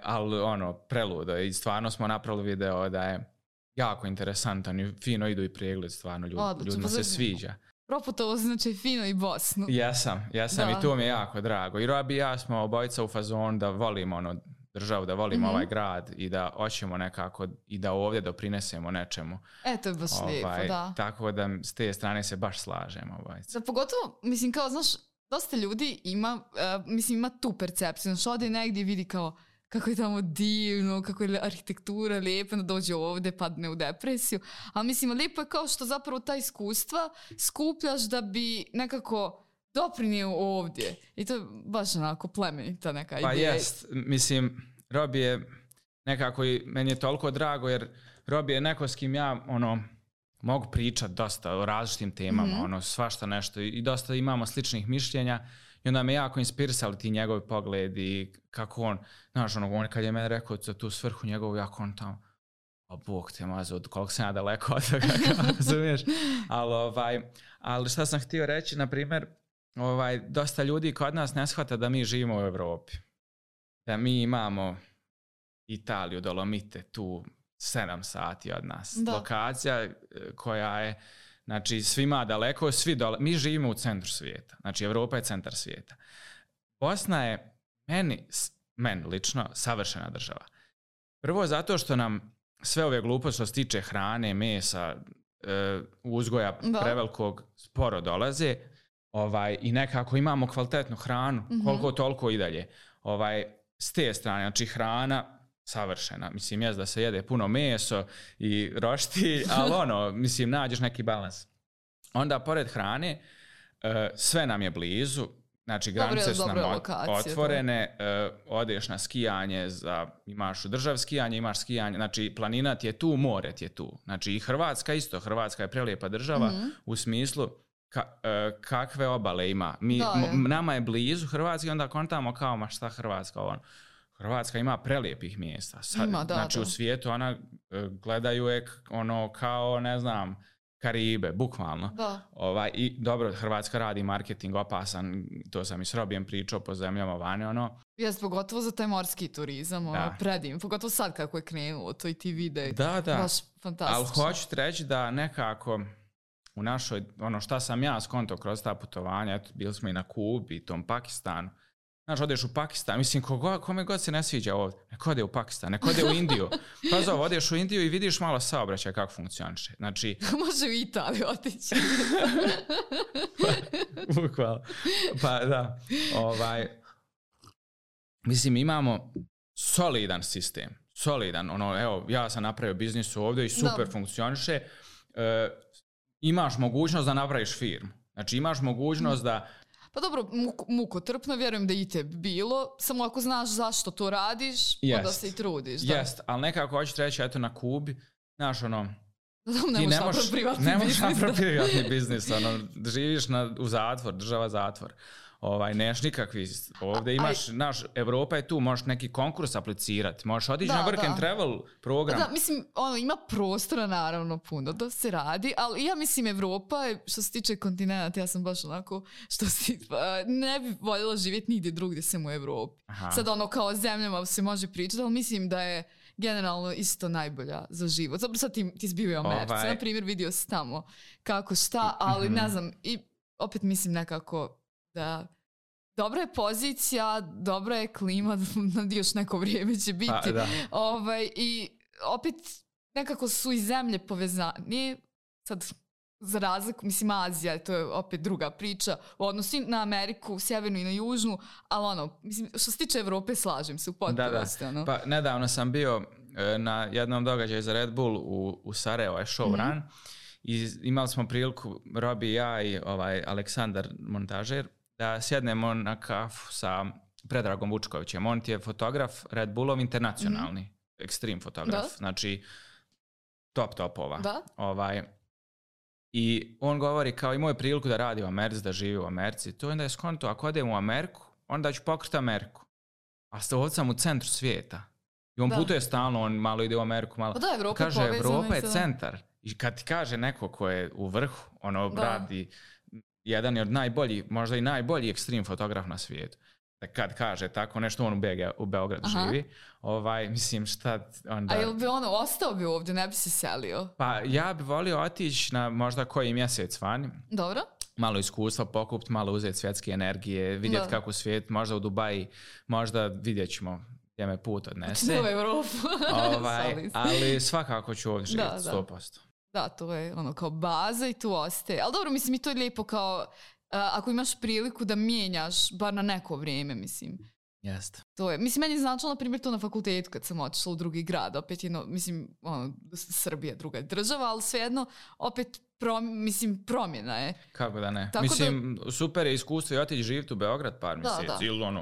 ali preludo i stvarno smo napravili video da je jako interesantan i fino idu i pregled, stvarno ljudima se sviđa. Proputovo znači fino i Bosnu. Jesam i to mi je jako drago i Robi i ja smo obojica u fazonu da volimo državu, da volimo ovaj grad i da hoćemo nekako i da ovdje doprinesemo nečemu. To je baš lijepo, da. Tako da s te strane se baš slažemo. Da, pogotovo, mislim, kao, znaš, dosta ljudi ima tu percepciju. Znaš, ode negdje i vidi kao kako je tamo divno, kako je arhitektura lijepa, da dođe ovdje, padne u depresiju. A mislim, lijepo je kao što zapravo ta iskustva skupljaš da bi nekako doprinio ovdje. I to je baš onako plemenita neka ideja. Pa jest, mislim, Robi je nekako i meni je toliko drago jer Robi je neko s kim ja mogu pričati dosta o različitim temama, svašta nešto i dosta imamo sličnih mišljenja i onda me jako inspirisali ti njegovi pogledi, kako on, znaš, on kad je meni rekao za tu svrhu njegovu, jako on tamo, Bog te mazo, koliko sam ja daleko od toga, razumiješ? Ali šta sam htio reći, na primjer, dosta ljudi kod nas ne shvata da mi živimo u Europi. Da mi imamo Italiju, Dolomite, tu 7 sati od nas. Lokacija koja je, znači, svima daleko, mi živimo u centru svijeta. Znači, Europa je centar svijeta. Bosna je meni lično savršena država. Prvo zato što nam sve ove gluposti što se tiče hrane, mesa, uzgoja prevelikog sporo dolaze, i nekako imamo kvalitetnu hranu, koliko toliko i dalje. S te strane, znači hrana savršena. Mislim, jest da se jede puno meso i roštilj, ali mislim, nađeš neki balans. Onda, pored hrane, sve nam je blizu, znači granice su nam otvorene, odeš na skijanje, imaš u državi skijanje, imaš skijanje, znači planina ti je tu, more ti je tu. Znači i Hrvatska isto, Hrvatska je prelijepa država u smislu kakve obale ima. Nama je blizu Hrvatske, onda kontamo kao, ma šta Hrvatska, Hrvatska ima prelijepih mjesta. Znači u svijetu ona gledaju je kao, ne znam, Karibe, bukvalno. I dobro, Hrvatska radi marketing opasan, to sam i s Robijem pričao po zemljama vani, Jes, pogotovo za taj morski turizam, predim. Pogotovo sad kako je krenulo, to i ti videi. Da. Baš fantastično. Ali hoću ti reći da nekako u našoj, šta sam ja skonto kroz ta putovanja, eto, bili smo i na Kubi, i tom Pakistanu, Znaš, odeš u Pakistan, mislim, kome god se ne sviđa ovdje, neko ode u Pakistan, neko ode u Indiju. Pa zove, odeš u Indiju i vidiš malo saobraćaj kako funkcioniše. Znači... Može u Italiju otići. Bukvalno. Pa da, mislim, imamo solidan sistem. Solidan, evo, ja sam napravio biznis ovdje i super funkcioniše. Imaš mogućnost da napraviš firmu. Znači, imaš mogućnost da... Pa dobro, mukotrpno, vjerujem da i te bilo, samo ako znaš zašto to radiš, onda se i trudiš. Jest, ali nekako hoćeš reći, eto na Kubi, znaš, ne možeš napraviti privatni biznis, živiš u zatvor, država zatvor. Neš nikakvi, ovdje imaš, Evropa je tu, možeš neki konkurs aplicirati, možeš otići na work and travel program. Da, mislim, ima prostora naravno puno da se radi, ali ja mislim Evropa je, što se tiče kontinenta, ja sam baš onako, ne bi voljela živjeti nigdje drugdje sem u Evropi. Aha. Sad kao zemljama se može pričati, ali mislim da je generalno isto najbolja za život. Zapravo sad ti si bio u Americi, na primjer vidio si tamo kako šta, ali ne znam, i opet mislim nekako da dobra je pozicija, dobra je klima, da još neko vrijeme će biti. I opet nekako su i zemlje povezane. Sad, za razliku, mislim, Azija, to je opet druga priča, u odnosu na Ameriku, sjevernu i na južnu, ali mislim, što se tiče Evrope, slažem se u potpunosti. Pa nedavno sam bio na jednom događaju za Red Bull u Sarajevo, je showrun, i imali smo priliku, Robi i ja i Aleksandar montažer, da sjednemo na kafu sa Predragom Vučkovićem. On ti je fotograf Red Bullov internacionalni, ekstrem fotograf, znači topova. I on govori kao imao je priliku da radi u Americi, da živi u Americi. To onda je skonto, ako odem u Ameriku, onda ću pokriti Ameriku. A ovdje sam u centru svijeta. I on putuje stalno, on malo ide u Ameriku, malo... Kaže, Evropa je centar. I kad ti kaže neko ko je u vrhu, radi... jedan je od najboljih, možda i najbolji ekstrem fotograf na svijetu. Kad kaže tako nešto, on u Beogradu živi. Mislim, šta onda... A jel bi ostao bi ovdje, ne bi se selio? Pa ja bi volio otići na možda koji mjesec vani. Dobro. Malo iskustva pokupiti, malo uzeti svjetske energije, vidjeti kako svijet, možda u Dubaji, možda vidjet ćemo gdje me put odnese. U Evropu. Ali svakako ću ovdje živjeti, 100%. Da, to je kao baza i tu ostaje. Ali dobro, mislim, i to je lijepo kao ako imaš priliku da mijenjaš bar na neko vrijeme, mislim. Jeste. To je, mislim, meni je značilo, na primjer, to na fakultetu kad sam otišla u drugi grad. Opet mislim, Srbija druga država, ali svejedno, opet promjena je. Kako da ne? Tako mislim, super je iskustvo i otići živjeti u Beograd par mjeseci.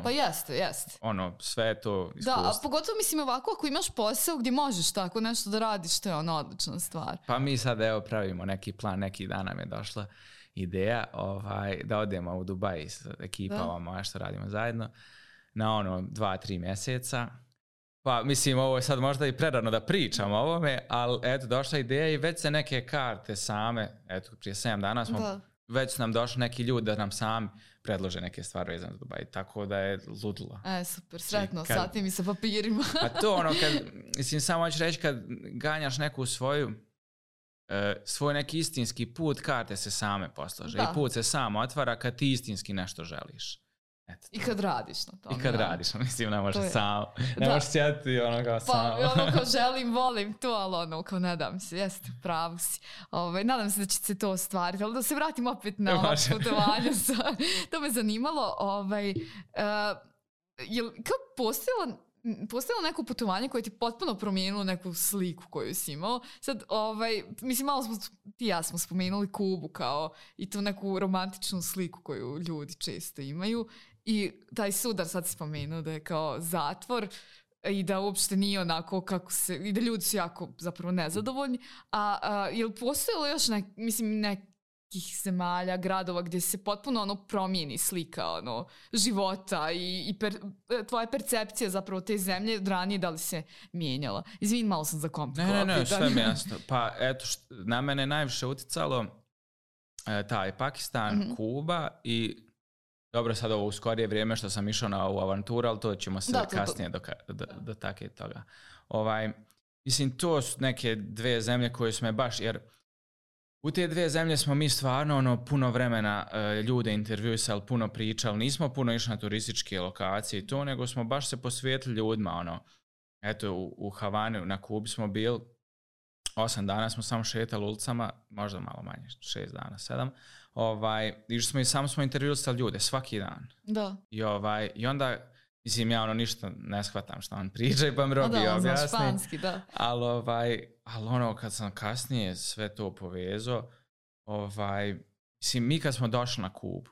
Pa jeste. Sve je to iskustvo. Da, a pogotovo mislim ovako, ako imaš posao gdje možeš tako nešto da radiš, to je odlična stvar. Pa mi sad pravimo neki plan, neki dan nam je došla ideja da odemo u Dubai s ekipama moja što radimo zajedno na 2-3 mjeseca. Pa mislim, ovo je sad možda i prerano da pričam o ovome, ali eto, došla ideja i već se neke karte same, eto, prije 7 dana već su nam došli neki ljudi da nam sami predlože neke stvari vezane za Dubaj, tako da je ludilo. Super, sretno, sati mi sa papirima. A to mislim, samo hoću reći, kad ganjaš neku svoj neki istinski put, karte se same poslaže. I put se sam otvara kad ti istinski nešto želiš. Eto, i kad radiš na tome. I kad radiš, mislim, ne možeš sam. Ne možeš sjetiti kao sam. Pa kao želim, volim to, ali kao nadam se, jeste, pravo si. Nadam se da će se to ostvariti, ali da se vratim opet na ovo putovanje. To me zanimalo. Kao postojalo neko putovanje koje ti potpuno promijenilo neku sliku koju si imao. Sad, mislim, malo ti ja smo spomenuli Kubu kao i tu neku romantičnu sliku koju ljudi često imaju. I taj sudar sad si spomenuo da je kao zatvor i da uopšte nije onako kako se, i da ljudi su jako zapravo nezadovoljni. A je li postojalo još nekih zemalja, gradova gdje se potpuno promijeni slika života i tvoja percepcija zapravo te zemlje od ranije, da li se mijenjala? Izvini, malo sam zakomplikovala. Ne, sve mi jasno. Pa eto, na mene najviše uticalo taj Pakistan, Kuba i dobro, sad ovo u skorije vrijeme što sam išao na ovu avanturu, ali to ćemo se kasnije dotaknuti toga. Mislim, to su neke dvije zemlje koje su me baš, jer U te dve zemlje smo mi stvarno puno vremena ljude intervjuisali, puno pričali, nismo puno išli na turističke lokacije i to, nego smo baš se posvetili ljudima, eto u Havani, na Kubi smo bili, 8 dana smo samo šetali ulicama, možda malo manje, 6 dana, 7, išli smo i samo smo intervjuisali ljude, svaki dan. Da. I onda, mislim, ja ništa ne shvatam što on priča i pa mi Robi objasni. Španski, da. Ali kad sam kasnije sve to povezao, mislim, mi kad smo došli na Kubu,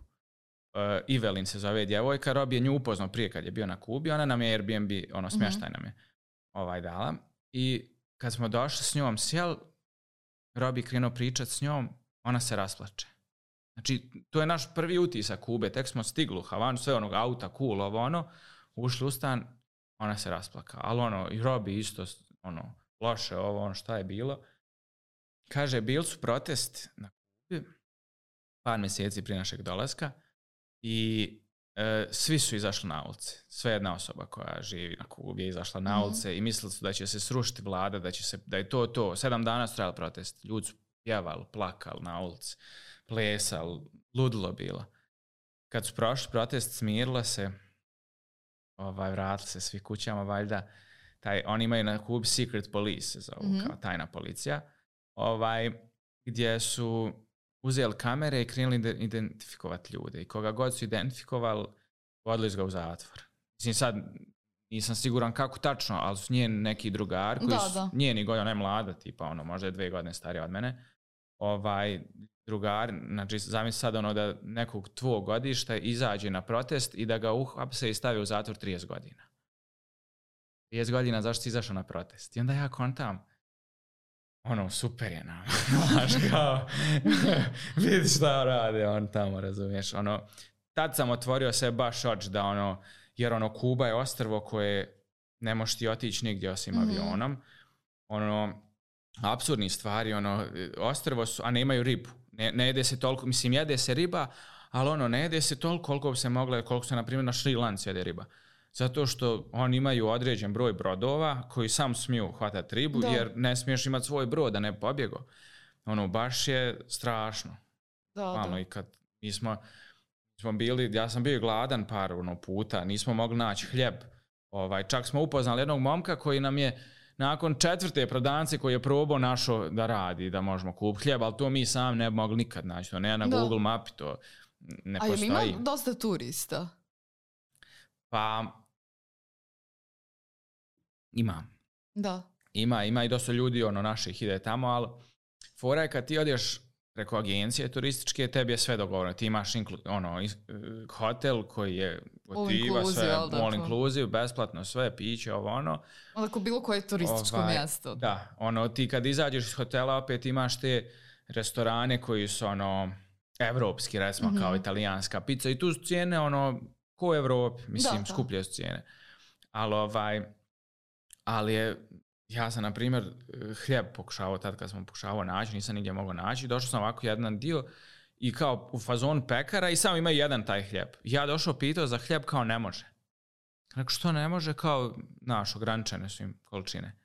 Evelyn se zove djevojka, Robi je nju upoznao prije kad je bio na Kubi, ona nam je Airbnb, smještaj nam je dala. I kad smo došli s njom sjel, Robi krenuo pričat s njom, ona se rasplače. Znači, to je naš prvi utisak Kube, tek smo stigli u Havanu, sve auta, cool, ušli u stan, ona se rasplaka. Ali i Robi isto, loše šta je bilo. Kaže, bili su protest na Kubi, par mjeseci prije našeg dolaska i svi su izašli na ulice. Sve jedna osoba koja živi na Kubi je izašla na ulice i mislili su da će se srušiti vlada, da je to. 7 dana su trajali protest. Ljudi su pjevali, plakali na ulici, plesali, ludilo bilo. Kad su prošli protest, smirilo se, vratili se svi kućama, valjda. Oni imaju na Kubi secret police, kao tajna policija, gdje su uzeli kamere i krenuli identifikovati ljude. I koga god su identifikovali, vodili su ga u zatvor. Mislim, sad nisam siguran kako tačno, ali su njeni neki drugari, koji su njeni godina, ona je mlada, tipa, možda je 2 godine starija od mene, drugari, znači zamisli sad da nekog tvog godišta izađe na protest i da ga uhapse i stavi u zatvor 30 godina. 30 godina zašto si izašao na protest? I onda ja kontam, super je nam. Znaš, kao, vidi šta rade on tamo, razumiješ. Tad sam otvorio se baš oči da jer Kuba je ostrvo koje ne možeš ti otići nigdje osim avionom. Apsurdni stvari, ostrvo su, a ne imaju ribu. Ne jede se toliko, mislim, jede se riba, ali ne jede se toliko koliko bi se mogla, koliko se, na primjer, na Šri Lanci jede riba. Zato što oni imaju određen broj brodova koji sam smiju hvatati ribu, jer ne smiješ imati svoj brod da ne pobjego. Baš je strašno. I kad mi smo bili, ja sam bio gladan par puta, nismo mogli naći hljeb. Čak smo upoznali jednog momka koji nam je nakon 4. prodavnice koji je probao našo da radi, da možemo kupiti hljeb, ali to mi sam ne bi mogli nikad naći. To ne na Google mapi, to ne postoji. A ima dosta turista? Pa, ima. Da. Ima i dosta ljudi, naših ide tamo, ali fora je kad ti odeš preko agencije turističke, tebi je sve dogovoreno. Ti imaš hotel koji je gotiva, sve all inclusive, besplatno sve, piće, Onako bilo koje turističko mjesto. Da, ti kad izađeš iz hotela opet imaš te restorane koji su evropski, recimo kao italijanska pizza i tu su cijene ko u Evropi, mislim, skuplje su cijene. Ali je, ja sam, na primjer, hljeb pokušavao tad kad sam pokušavao naći, nisam nigdje mogao naći, došao sam ovako jedan dio i kao u fazonu pekara i samo ima jedan taj hljeb. Ja došao pitao za hljeb, kao ne može. Rekao, što ne može, kao ograničene su im količine.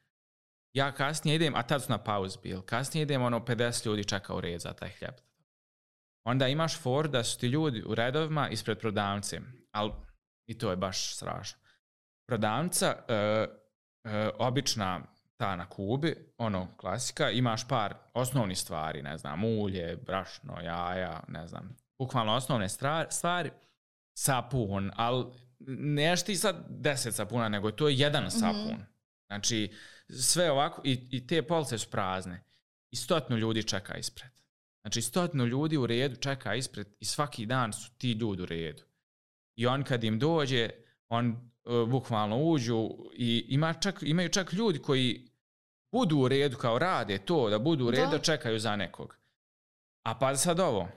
Ja kasnije idem, a tad su na pauzi bil, kasnije idem, 50 ljudi čeka u red za taj hljeb. Onda imaš for da su ti ljudi u redovima ispred prodavnice, ali i to je baš strašno. Prodavnica, obična ta na Kubi, klasika, imaš par osnovnih stvari, ne znam, ulje, brašno, jaja, ne znam, bukvalno osnovne stvari, sapun, ali neš ti sad 10 sapuna, nego to je jedan sapun. Znači, sve ovako, i te police su prazne. I 100 ljudi čeka ispred. Znači, 100 ljudi u redu čeka ispred i svaki dan su ti ljudi u redu. I on kad im dođe, on bukvalno uđu i imaju čak ljudi koji budu u redu, kao rade to, da budu u redu, da čekaju za nekog. A pa sad ovo,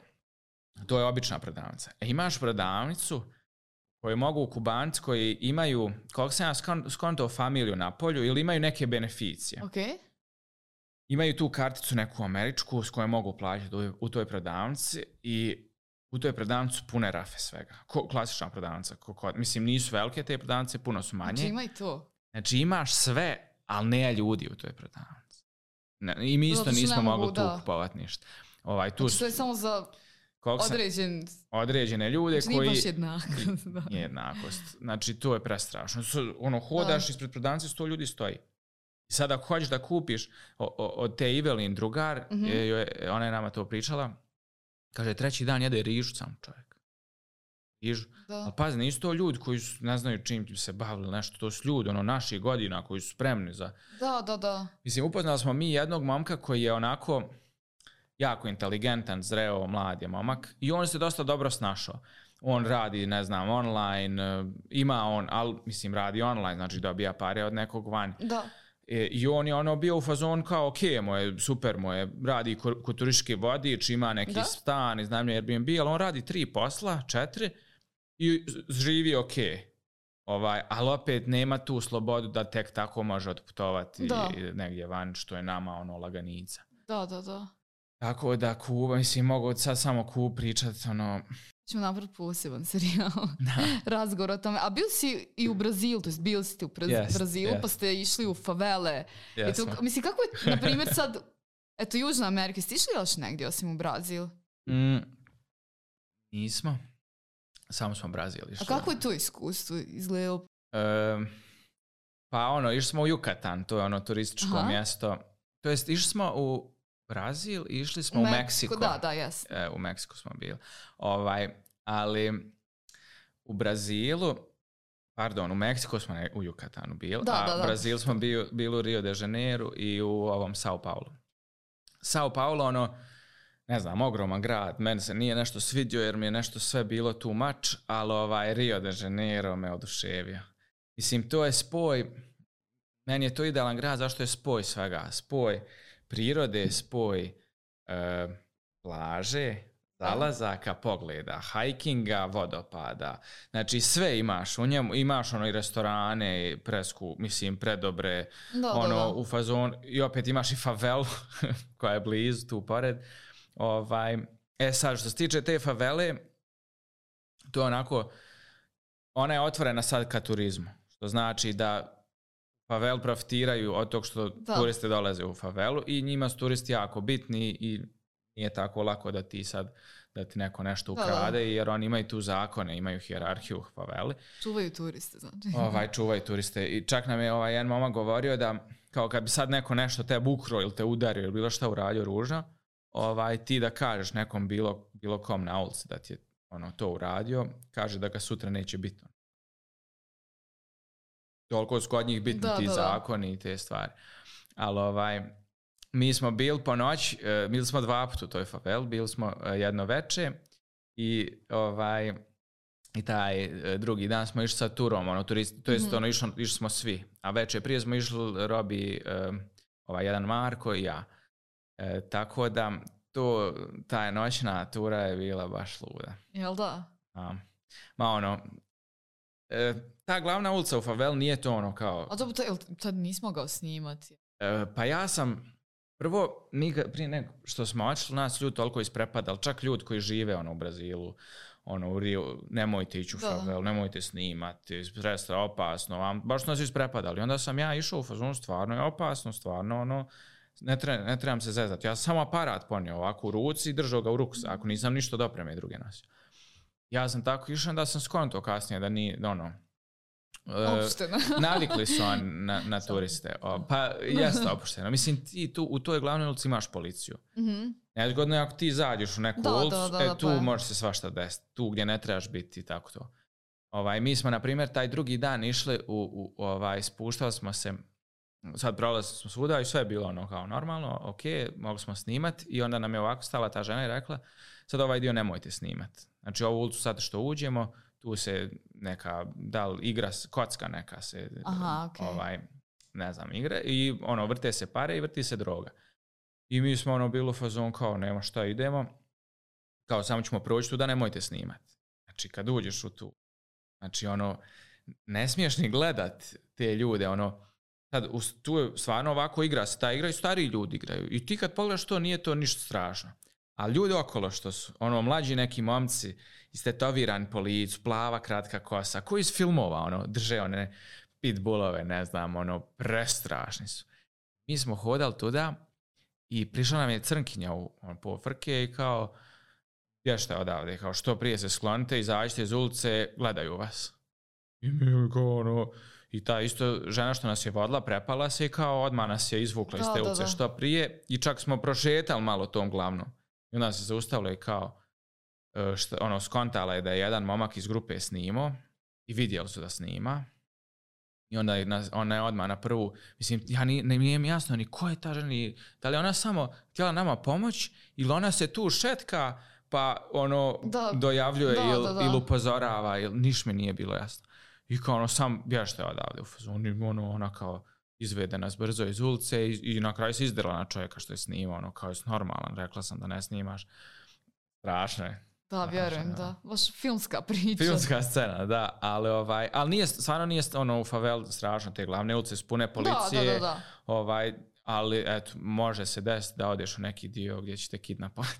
to je obična prodavnica. Imaš prodavnicu koju mogu Kubanci koji imaju, koliko sam ja skontao, familiju na polju ili imaju neke beneficije. Okay. Imaju tu karticu neku američku s kojom mogu plaćati u toj prodavnici i u toj prodavnici pune rafe svega. Klasična prodavnica. Mislim, nisu velike te prodavnice, puno su manje. Znači ima i to. Znači imaš sve, ali ne ljudi u toj prodavnici. I mi isto nismo mogli tu kupovati ništa. Tu znači to je samo za određene ljude znači koji... Nije baš jednakost. Nije jednakost. Znači, to je prestrašno. Hodaš ispred prodavnice, 100 ljudi stoji. I sad ako hoćeš da kupiš od te Evelyn drugar, ona je nama to pričala, kaže, 3. dan jede rižu sam čovjek. Rižu. Ali pazi, nisu to ljudi koji ne znaju čim se bavili nešto, to su ljudi naših godina koji su spremni za... Da. Mislim, upoznali smo mi jednog momka koji je onako jako inteligentan, zreo, mlad je momak i on se dosta dobro snašao. On radi, ne znam, online, radi online, znači dobija pare od nekog van. Da. I on je bio u fazon kao, ok, super mu je, radi kod turistički vodič, ima neki stan, iznajmljuje Airbnb, ali on radi 3 posla, 4 i živi ok. Ali opet nema tu slobodu da tek tako može otputovati negdje van, što je nama laganica. Da. Tako da Kuba, mislim, mogu sad samo pričati, Ćemo napraviti poseban serijal razgovor o tome. A bili si i u Brazilu, to jest bili ste u Brazilu, pa ste išli u favele. Mislim, kako je, na primjer, sad, Južna Amerika, ste išli još negdje osim u Brazil? Nismo. Samo smo u Brazil išli. A kako je to iskustvo izgledalo? Pa išli smo u Yucatan, to je turističko mjesto. To jest, išli smo u Brazil i išli smo u Meksiko. Da, jes. U Meksiku smo bili. Ali u Brazilu, u Meksiku smo u Yucatanu bili, u Brazilu smo bili u Rio de Janeiro i u Sao Paulo. Sao Paulo, ne znam, ogroman grad, meni se nije nešto svidio jer mi je nešto sve bilo too much, ali Rio de Janeiro me oduševio. Mislim, to je spoj, meni je to idealan grad, zašto je spoj svega? Spoj prirode, spoj plaže, zalazaka, pogleda, hajkinga, vodopada. Znači sve imaš u njemu, imaš i restorane, predobre, u fazon, i opet imaš i favelu koja je blizu tu pored. Sad, što se tiče te favele, to je onako, ona je otvorena sad ka turizmu, što znači da favel profitiraju od tog što turisti dolaze u favelu i njima su turisti jako bitni i nije tako lako da ti neko nešto ukrade, jer oni imaju tu zakone, imaju hijerarhiju u faveli. Čuvaju turiste, znači. Čuvaju turiste. I čak nam je jedan momak govorio da kao kad bi sad neko nešto te ukro ili te udario ili bilo šta uradio ružno, ti da kažeš nekom bilo kom na ulici da ti je to uradio, kaže da ga sutra neće biti. Toliko su kod njih bitni ti zakoni i te stvari. Ali mi smo bili po noć, bili smo 2 puta u toj faveli, bili smo jedno veče i taj drugi dan smo išli sa turom, to jest išli smo svi, a veče prije smo išli Robi, jedan Marko i ja. Tako da ta noćna tura je bila baš luda. Jel da? Ta glavna ulica u faveli nije to kao... A to tad nismo ga snimati. Pa ja sam prvo, prije nego što smo otišli, nas ljudi toliko isprepadali, čak ljudi koji žive u Brazilu, u Rio, nemojte ići u favelu, nemojte snimati, prestra, opasno, baš su nas isprepadali. Onda sam ja išao u fazonu, stvarno je opasno, stvarno, ne trebam se zezati. Ja sam samo aparat ponio ovako u ruci i držao ga u ruksaku, nisam ništa dopreme druge nosio. Ja sam tako išao da sam skonto kasnije da nije, opušteno. Navikli su na turiste. Pa jeste opušteno. Mislim, ti u toj glavnoj ulici imaš policiju. Nezgodno je ako ti zađeš u neku ulicu, tu može se svašta desiti. Tu gdje ne trebaš biti i tako to. Mi smo, na primjer, taj drugi dan išli spuštali smo se, sad prolazili smo svuda i sve je bilo kao normalno, ok, mogli smo snimati i onda nam je ovako stala ta žena i rekla, sad ovaj dio nemojte snimati. Znači ovu ulicu sad što uđemo, tu se neka, da li igra, kocka neka se, ne znam, igra i vrte se pare i vrti se droga. I mi smo bilo fazon kao nema šta idemo, kao samo ćemo proći tu da nemojte snimati. Znači kad uđeš u tu, znači ne smiješ ni gledat te ljude, sad tu je stvarno ovako igra se, ta igra i stariji ljudi igraju i ti kad pogledaš to nije to ništa strašno. A ljudi okolo što su, mlađi neki momci, istetovirani po licu, plava kratka kosa, koji iz filmova, drže one pitbullove, ne znam, prestrašni su. Mi smo hodali tuda I prišla nam je crnkinja u pofrke i kao, bježite odavde, kao što prije se sklonite, izađite iz ulice, gledaju vas. I mi kao ono, i ta isto žena što nas je vodila prepala se i kao odmah nas je izvukla iz te ulice što prije i čak smo prošetali malo tom glavnom. I onda se zaustavila i kao, skontala je da je jedan momak iz grupe snimao i vidjeli su da snima. I onda ona je odmah na prvu, mislim, nije mi jasno ni ko je ta žena, da li ona samo htjela nama pomoć ili ona se tu šetka pa dojavljuje ili upozorava, ili niš mi nije bilo jasno. I kao sam bježite odavde u fazonu, ona kao izvede nas brzo iz ulice i na kraju se izdrla na čovjeka što je snimao, kao je normalan, rekla sam da ne snimaš. Strašno je. Da, vjerujem, da. Baš filmska priča. Filmska scena, da, ali stvarno nije u faveli strašno, te glavne ulice su pune policije, da. Ali eto, može se desiti da odeš u neki dio gdje ćete kidnapovati.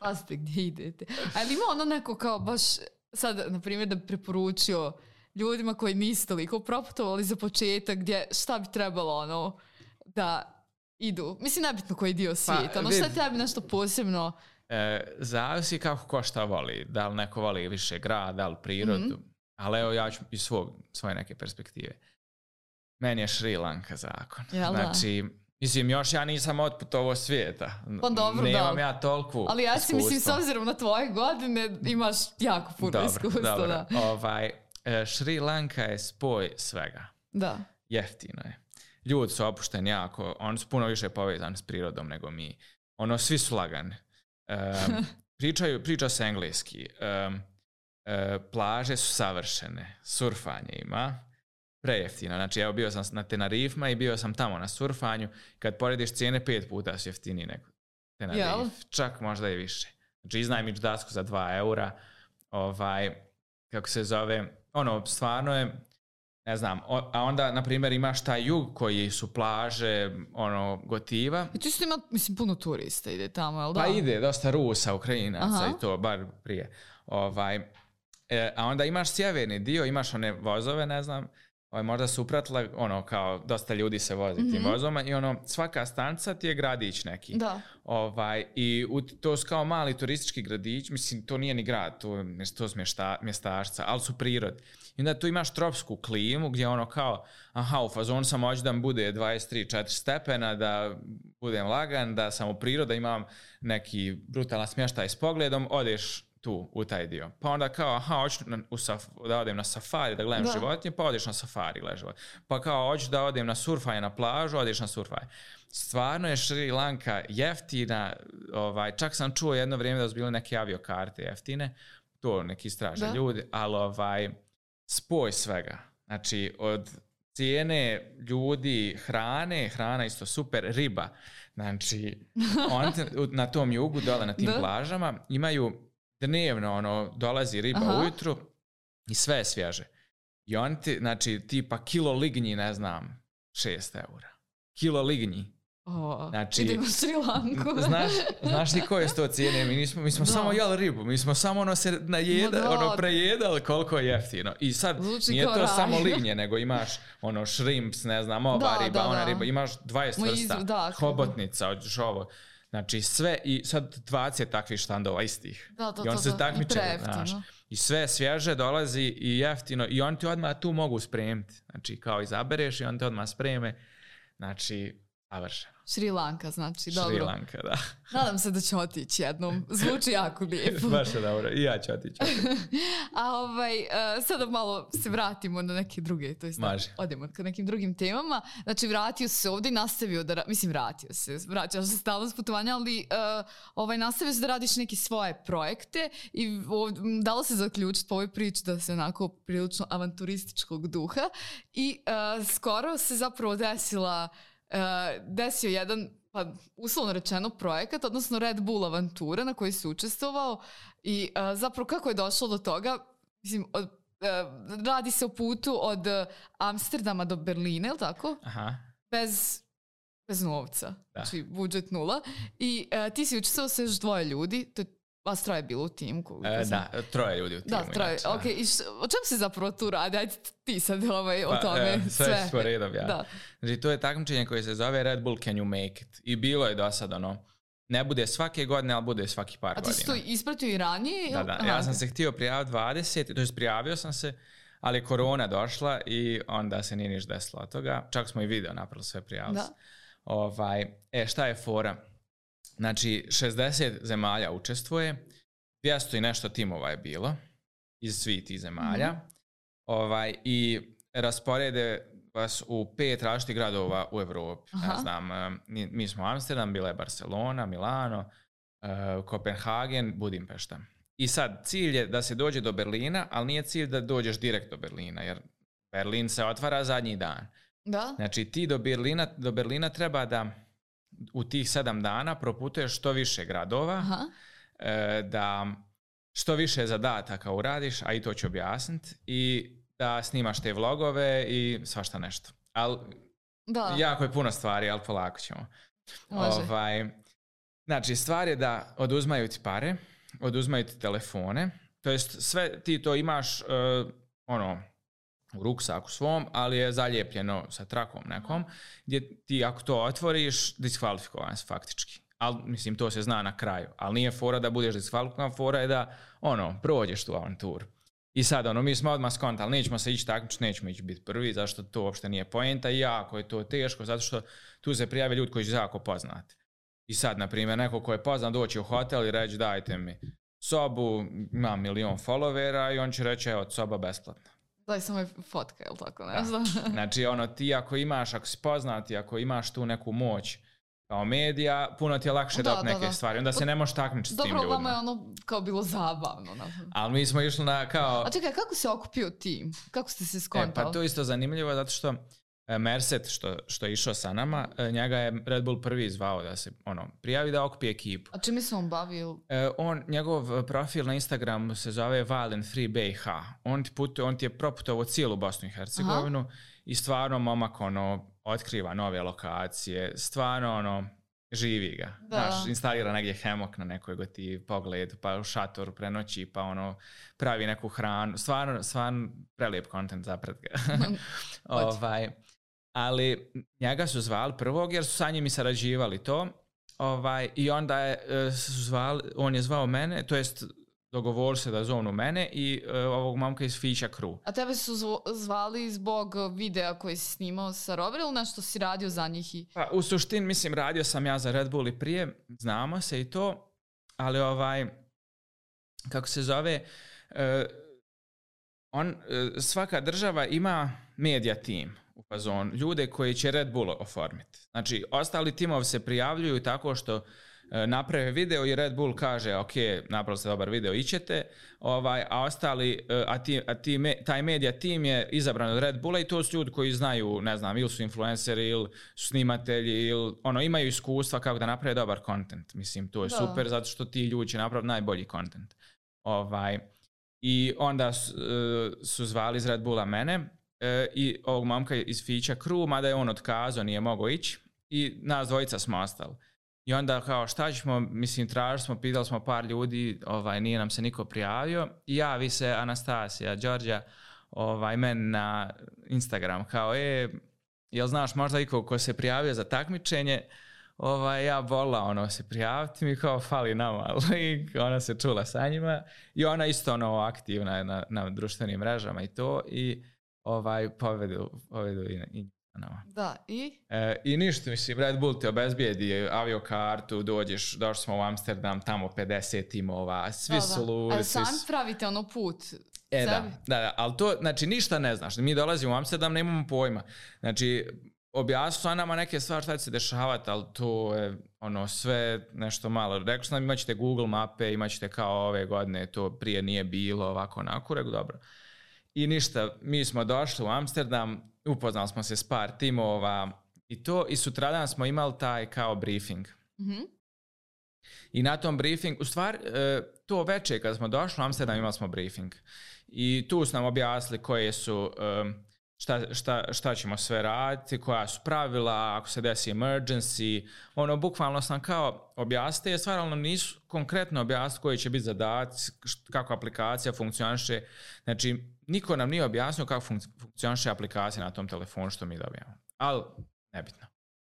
Pazite gdje idete. Ali ima neko kao baš sad, na primjer, da bi preporučio ljudima koji nisu toliko proputovali za početak, gdje šta bi trebalo da idu. Mislim, nebitno koji dio svijeta. Šta je tebi nešto posebno? Zavisi kako ko šta voli. Da li neko voli više grad, da li prirodu. Ali evo ja ću iz svoje neke perspektive. Meni je Šri Lanka zakon. Znači, mislim, još ja nisam otputovao svijeta. Pa dobro, nemam ja toliko ali ja si mislim, s obzirom na tvoje godine, imaš jako puno iskustva. Dobro. Šri Lanka je spoj svega. Da. Jeftino je. Ljudi su opušteni jako. Oni su puno više povezani s prirodom nego mi. Svi su lagani. Priča se engleski. Plaže su savršene. Surfanje ima. Prejeftino. Znači, evo bio sam na Tenerifima i bio sam tamo na surfanju. Kad porediš cijene 5 puta su jeftiniji nego Tenerif. Čak možda i više. Znači, iznajmiš dasku za 2 eura. Kako se zove, stvarno je, ne znam, a onda, na primjer, imaš taj jug koji su plaže, gotiva. I tu su ima, mislim, puno turista ide tamo, jel da? Pa ide, dosta Rusa, Ukrajinaca i to, bar prije. A onda imaš sjeverni dio, imaš one vozove, ne znam, možda su upratila, kao dosta ljudi se vozi tim vozoma i svaka stanca ti je gradić neki. Da. I to su kao mali turistički gradić, mislim, to nije ni grad, to su mjestašca, ali su prirod. I onda tu imaš tropsku klimu gdje kao, u fazonu sam hoću da mi bude 23-4 stepena, da budem lagan, da sam u prirodu, da imam neki brutalan smještaj s pogledom, odeš tu, u taj dio. Pa onda kao, hoću da odem na safari, da gledam životinje, pa odeš na safari, gledaš životinje. Pa kao, hoću da odem na surfanje na plažu, odeš na surfanje. Stvarno je Šri Lanka jeftina, čak sam čuo jedno vrijeme da su bile neke aviokarte jeftine, to neki istraže ljudi, ali spoj svega. Znači, od cijene ljudi, hrana isto super, riba. Znači, oni na tom jugu, dole na tim plažama, imaju dnevno dolazi riba ujutru i sve je svježe. I oni znači, tipa kilo lignji, ne znam, 6 eura. Kilo lignji. Znači, idemo u Šri Lanku. Znaš ti koje su to cijene? Mi smo samo jeli ribu. Mi smo samo se prejedali koliko je jeftino. I sad nije to samo lignje, nego imaš shrimps, ne znam, ova riba, ona riba. Imaš 20 vrsta, hobotnica, hoćeš ovo. Znači sve i sad 20 takvih štandova istih. I on se takmiče, znaš. I sve svježe dolazi i jeftino i oni ti odmah tu mogu spremiti. Znači kao izabereš i on te odmah spreme. Znači, savršeno. Šri Lanka, znači, dobro. Šri Lanka, da. Nadam se da ću otići jednom. Zvuči jako lijepo. Baš je dobro. I ja ću otići. A sada malo se vratimo na neke druge, to jest odemo ka nekim drugim temama. Znači, vratio se ovdje i nastavio da... Mislim, vraćaš se stalno s putovanja, ali nastavio se da radiš neke svoje projekte i dalo se zaključiti po ovoj priči da se onako prilično avanturističkog duha i skoro se zapravo desio jedan, pa uslovno rečeno, projekat, odnosno Red Bull avantura na koji si učestvovao i zapravo kako je došlo do toga, mislim, radi se o putu od Amsterdama do Berlina, je li tako? Aha. Bez novca, znači budžet 0 i ti si učestvovao sa još 2 ljudi, to je Vas troje bilo u timu? Da, 3 ljudi u timu. Da, 3. Inače, Ok, i o čemu se zapravo tu radi? Ajde ti sad o tome sve. Sve redom, ja. Da. Znači, to je takmičenje koje se zove Red Bull Can You Make It. I bilo je do sad ne bude svake godine, ali bude svaki par godina. A ti si to ispratio i ranije? Da. Ja sam se htio prijaviti 20, to je prijavio sam se, ali je korona došla i onda se nije niš desilo od toga. Čak smo i video napravili sve prijavili. Šta je fora? Znači, 60 zemalja učestvuje, 200 i nešto timova je bilo iz svih tih zemalja i rasporede vas u 5 različitih gradova u Evropi. Ja znam, mi smo Amsterdam, bila je Barcelona, Milano, Kopenhagen, Budimpešta. I sad, cilj je da se dođe do Berlina, ali nije cilj da dođeš direkt do Berlina, jer Berlin se otvara zadnji dan. Da. Znači, ti do Berlina treba da u tih 7 dana proputuješ što više gradova, da što više zadataka uradiš, a i to ću objasniti, i da snimaš te vlogove i svašta nešto. Ali jako je puno stvari, ali polako ćemo. Znači, stvar je da oduzmaju ti pare, oduzmaju ti telefone, to jest sve ti to imaš u ruksaku svom, ali je zalijepljeno sa trakom nekom, gdje ti ako to otvoriš, diskvalifikovan si faktički. Ali, mislim, to se zna na kraju. Ali nije fora da budeš diskvalifikovan, fora je da, prođeš tu avanturu. I sad, mi smo odmah skontali, nećemo se ići takmičiti, nećemo ići biti prvi, zašto to uopšte nije poenta i jako je to teško, zato što tu se prijave ljudi koji su jako poznati. I sad, na primjer, neko ko je poznat doći u hotel i reći dajte mi sobu, imam 1 milion followera i on će reći evo, soba besplatna. Daj samo fotka, ili tako, ne znam. Znači, ti ako si poznat i ako imaš tu neku moć kao medija, puno ti je lakše da neke stvari. Onda se ne možeš takmičiti s tim ljudima. Dobro, vama je kao bilo zabavno. Ali mi smo išli na kao... A čekaj, kako se okupio tim? Kako ste se skontali? Pa to je isto zanimljivo, zato što Merset, što je išao sa nama, njega je Red Bull prvi zvao da se prijavi da okupi ekipu. A čime se on bavio? Njegov profil na Instagramu se zove Valen Free BiH. On ti je proputovao cijelu Bosnu i Hercegovinu i stvarno momak otkriva nove lokacije, stvarno živi ga. Znaš, instalira negdje hemok na nekoj goti pogledu, pa u šatoru prenoći, pa pravi neku hranu. Stvarno prelijep kontent zapred ga. Ali njega su zvali prvog jer su sa njim i sarađivali to. I onda on je zvao mene, to jest dogovor se da zovnu mene i ovog momka iz Fića Crew. A tebe su zvali zbog videa koji si snimao sa Robert ili nešto si radio za njih? Pa, u suštini, mislim, radio sam ja za Red Bull i prije, znamo se i to, ali kako se zove, svaka država ima media tim u fazonu, ljude koji će Red Bull oformiti. Znači, ostali timovi se prijavljuju tako što naprave video i Red Bull kaže ok, napravili ste dobar video, ićete, a ostali, taj media tim je izabran od Red Bulla i to su ljudi koji znaju, ne znam, ili su influenceri, ili su snimatelji, ili imaju iskustva kako da naprave dobar content. Mislim, to je super, zato što ti ljudi će napraviti najbolji content. I onda su zvali iz Red Bulla mene i ovog momka iz Fića Crew, mada je on otkazao, nije mogao ići, i nas dvojica smo ostali. I onda kao šta ćemo, mislim, tražili smo, pitali smo par ljudi, nije nam se niko prijavio, i javi se Anastasija Đorđa meni na Instagram kao, jel znaš možda ikog ko se prijavio za takmičenje? Ja volila se prijaviti, mi kao fali nama, ali ona se čula sa njima i ona isto aktivna je na društvenim mrežama i to, i povedu i nama. Da, i? I ništa, mislim, Red Bull ti obezbijedi aviokartu, došli smo u Amsterdam, tamo 50 timova, svi su ludi. Ali sami pravite put? Da, ali to, znači, ništa ne znaš. Mi dolazimo u Amsterdam, ne imamo pojma. Znači, objasnili su nama neke stvari šta će se dešavati, ali to je sve nešto malo. Rekli su nam, imat ćete Google mape, imat ćete kao ove godine, to prije nije bilo, ovako, onako, rekao, dobro. I ništa, mi smo došli u Amsterdam, upoznali smo se s par timova i to, i sutradan smo imali taj kao briefing. Mm-hmm. I na tom briefing, u stvari, to večer kad smo došli u Amsterdam imali smo briefing. I tu su nam objasnili koje su šta ćemo sve raditi, koja su pravila, ako se desi emergency, bukvalno sam kao objasnite, stvarno nisu konkretno objasniti koji će biti zadaci, kako aplikacija funkcioniše. Znači, niko nam nije objasnio kako funkcioniše aplikacija na tom telefonu što mi dobijamo. Ali, nebitno.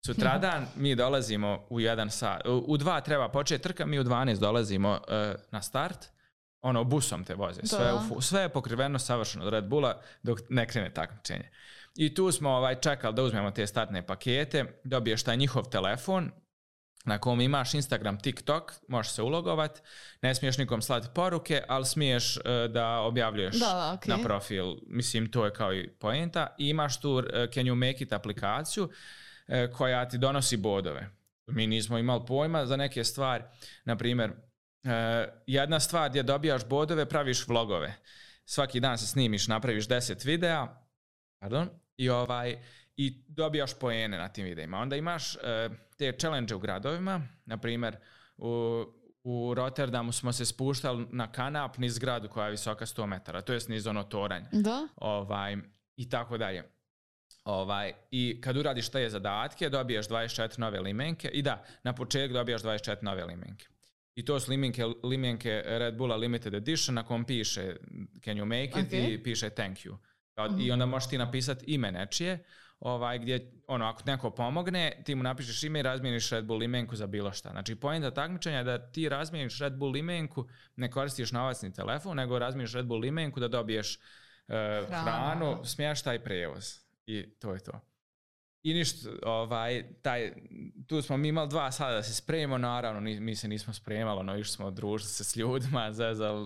Sutradan mi dolazimo u 1 sat, u 2 treba početi trka, mi u 12 dolazimo na start, busom te voze, sve je pokriveno savršeno od Red Bulla dok ne krene takmičenje. I tu smo čekali da uzmemo te startne pakete, dobiješ taj njihov telefon na kom imaš Instagram, TikTok, možeš se ulogovat, ne smiješ nikom slati poruke, ali smiješ da objavljuješ na profil, mislim to je kao i poenta, i imaš tu Can You Make It aplikaciju koja ti donosi bodove. Mi nismo imali pojma za neke stvari, na primjer, jedna stvar gdje dobijaš bodove, praviš vlogove. Svaki dan se snimiš, napraviš 10 videa, i dobijaš poene na tim videima. Onda imaš te challenge u gradovima, na primjer u Rotterdamu smo se spuštali na kanap niz zgradu koja je visoka 100 metara, to je niz toranj. Da. I tako dalje. I kad uradiš te zadatke, dobiješ 24 nove limenke i na početku dobijaš 24 nove limenke. I to su limenke Red Bulla Limited Edition na kom piše Can you make it i piše thank you. I onda možeš ti napisati ime nečije, gdje ako neko pomogne, ti mu napišeš ime i razmijeniš Red Bull limenku za bilo šta. Znači, poenta takmičenja je da ti razmijeniš Red Bull limenku, ne koristiš novacni telefon, nego razmijeniš Red Bull limenku da dobiješ hranu, smještaj i prevoz. I to je to. I ništa, tu smo mi imali 2 sata da se spremimo, naravno mi se nismo spremali, išli smo družiti se s ljudima,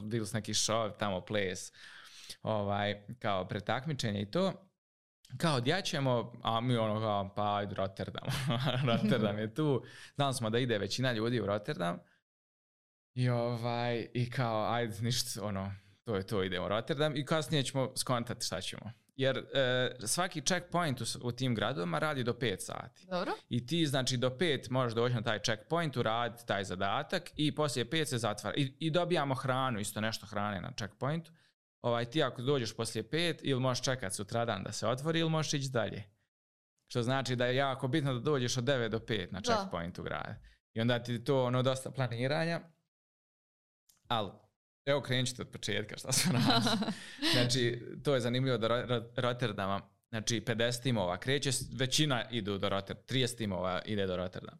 bili su neki show, tamo ples, kao pretakmičenje i to. Kao gdje ćemo, a mi pa ajde Rotterdam. Rotterdam je tu, znali smo da ide većina ljudi u Rotterdam i kao ajde ništa, to je to, idemo u Rotterdam i kasnije ćemo skontati šta ćemo. Jer svaki checkpoint u tim gradovima radi do 5 sati. Dobro. I ti znači do 5 možeš doći na taj checkpoint, uraditi taj zadatak i poslije 5 se zatvara. I dobijamo hranu, isto nešto hrane na checkpointu. Ti ako dođeš poslije 5 ili možeš čekati sutradan da se otvori ili možeš ići dalje. Što znači da je jako bitno da dođeš od 9 do 5 na checkpointu grada. I onda ti to dosta planiranja. Ali evo krenut ćete od početka šta se radi. Znači, to je zanimljivo do Rotterdama. Znači, 50 timova kreće, većina idu do Rotterdama, 30 timova ide do Rotterdama.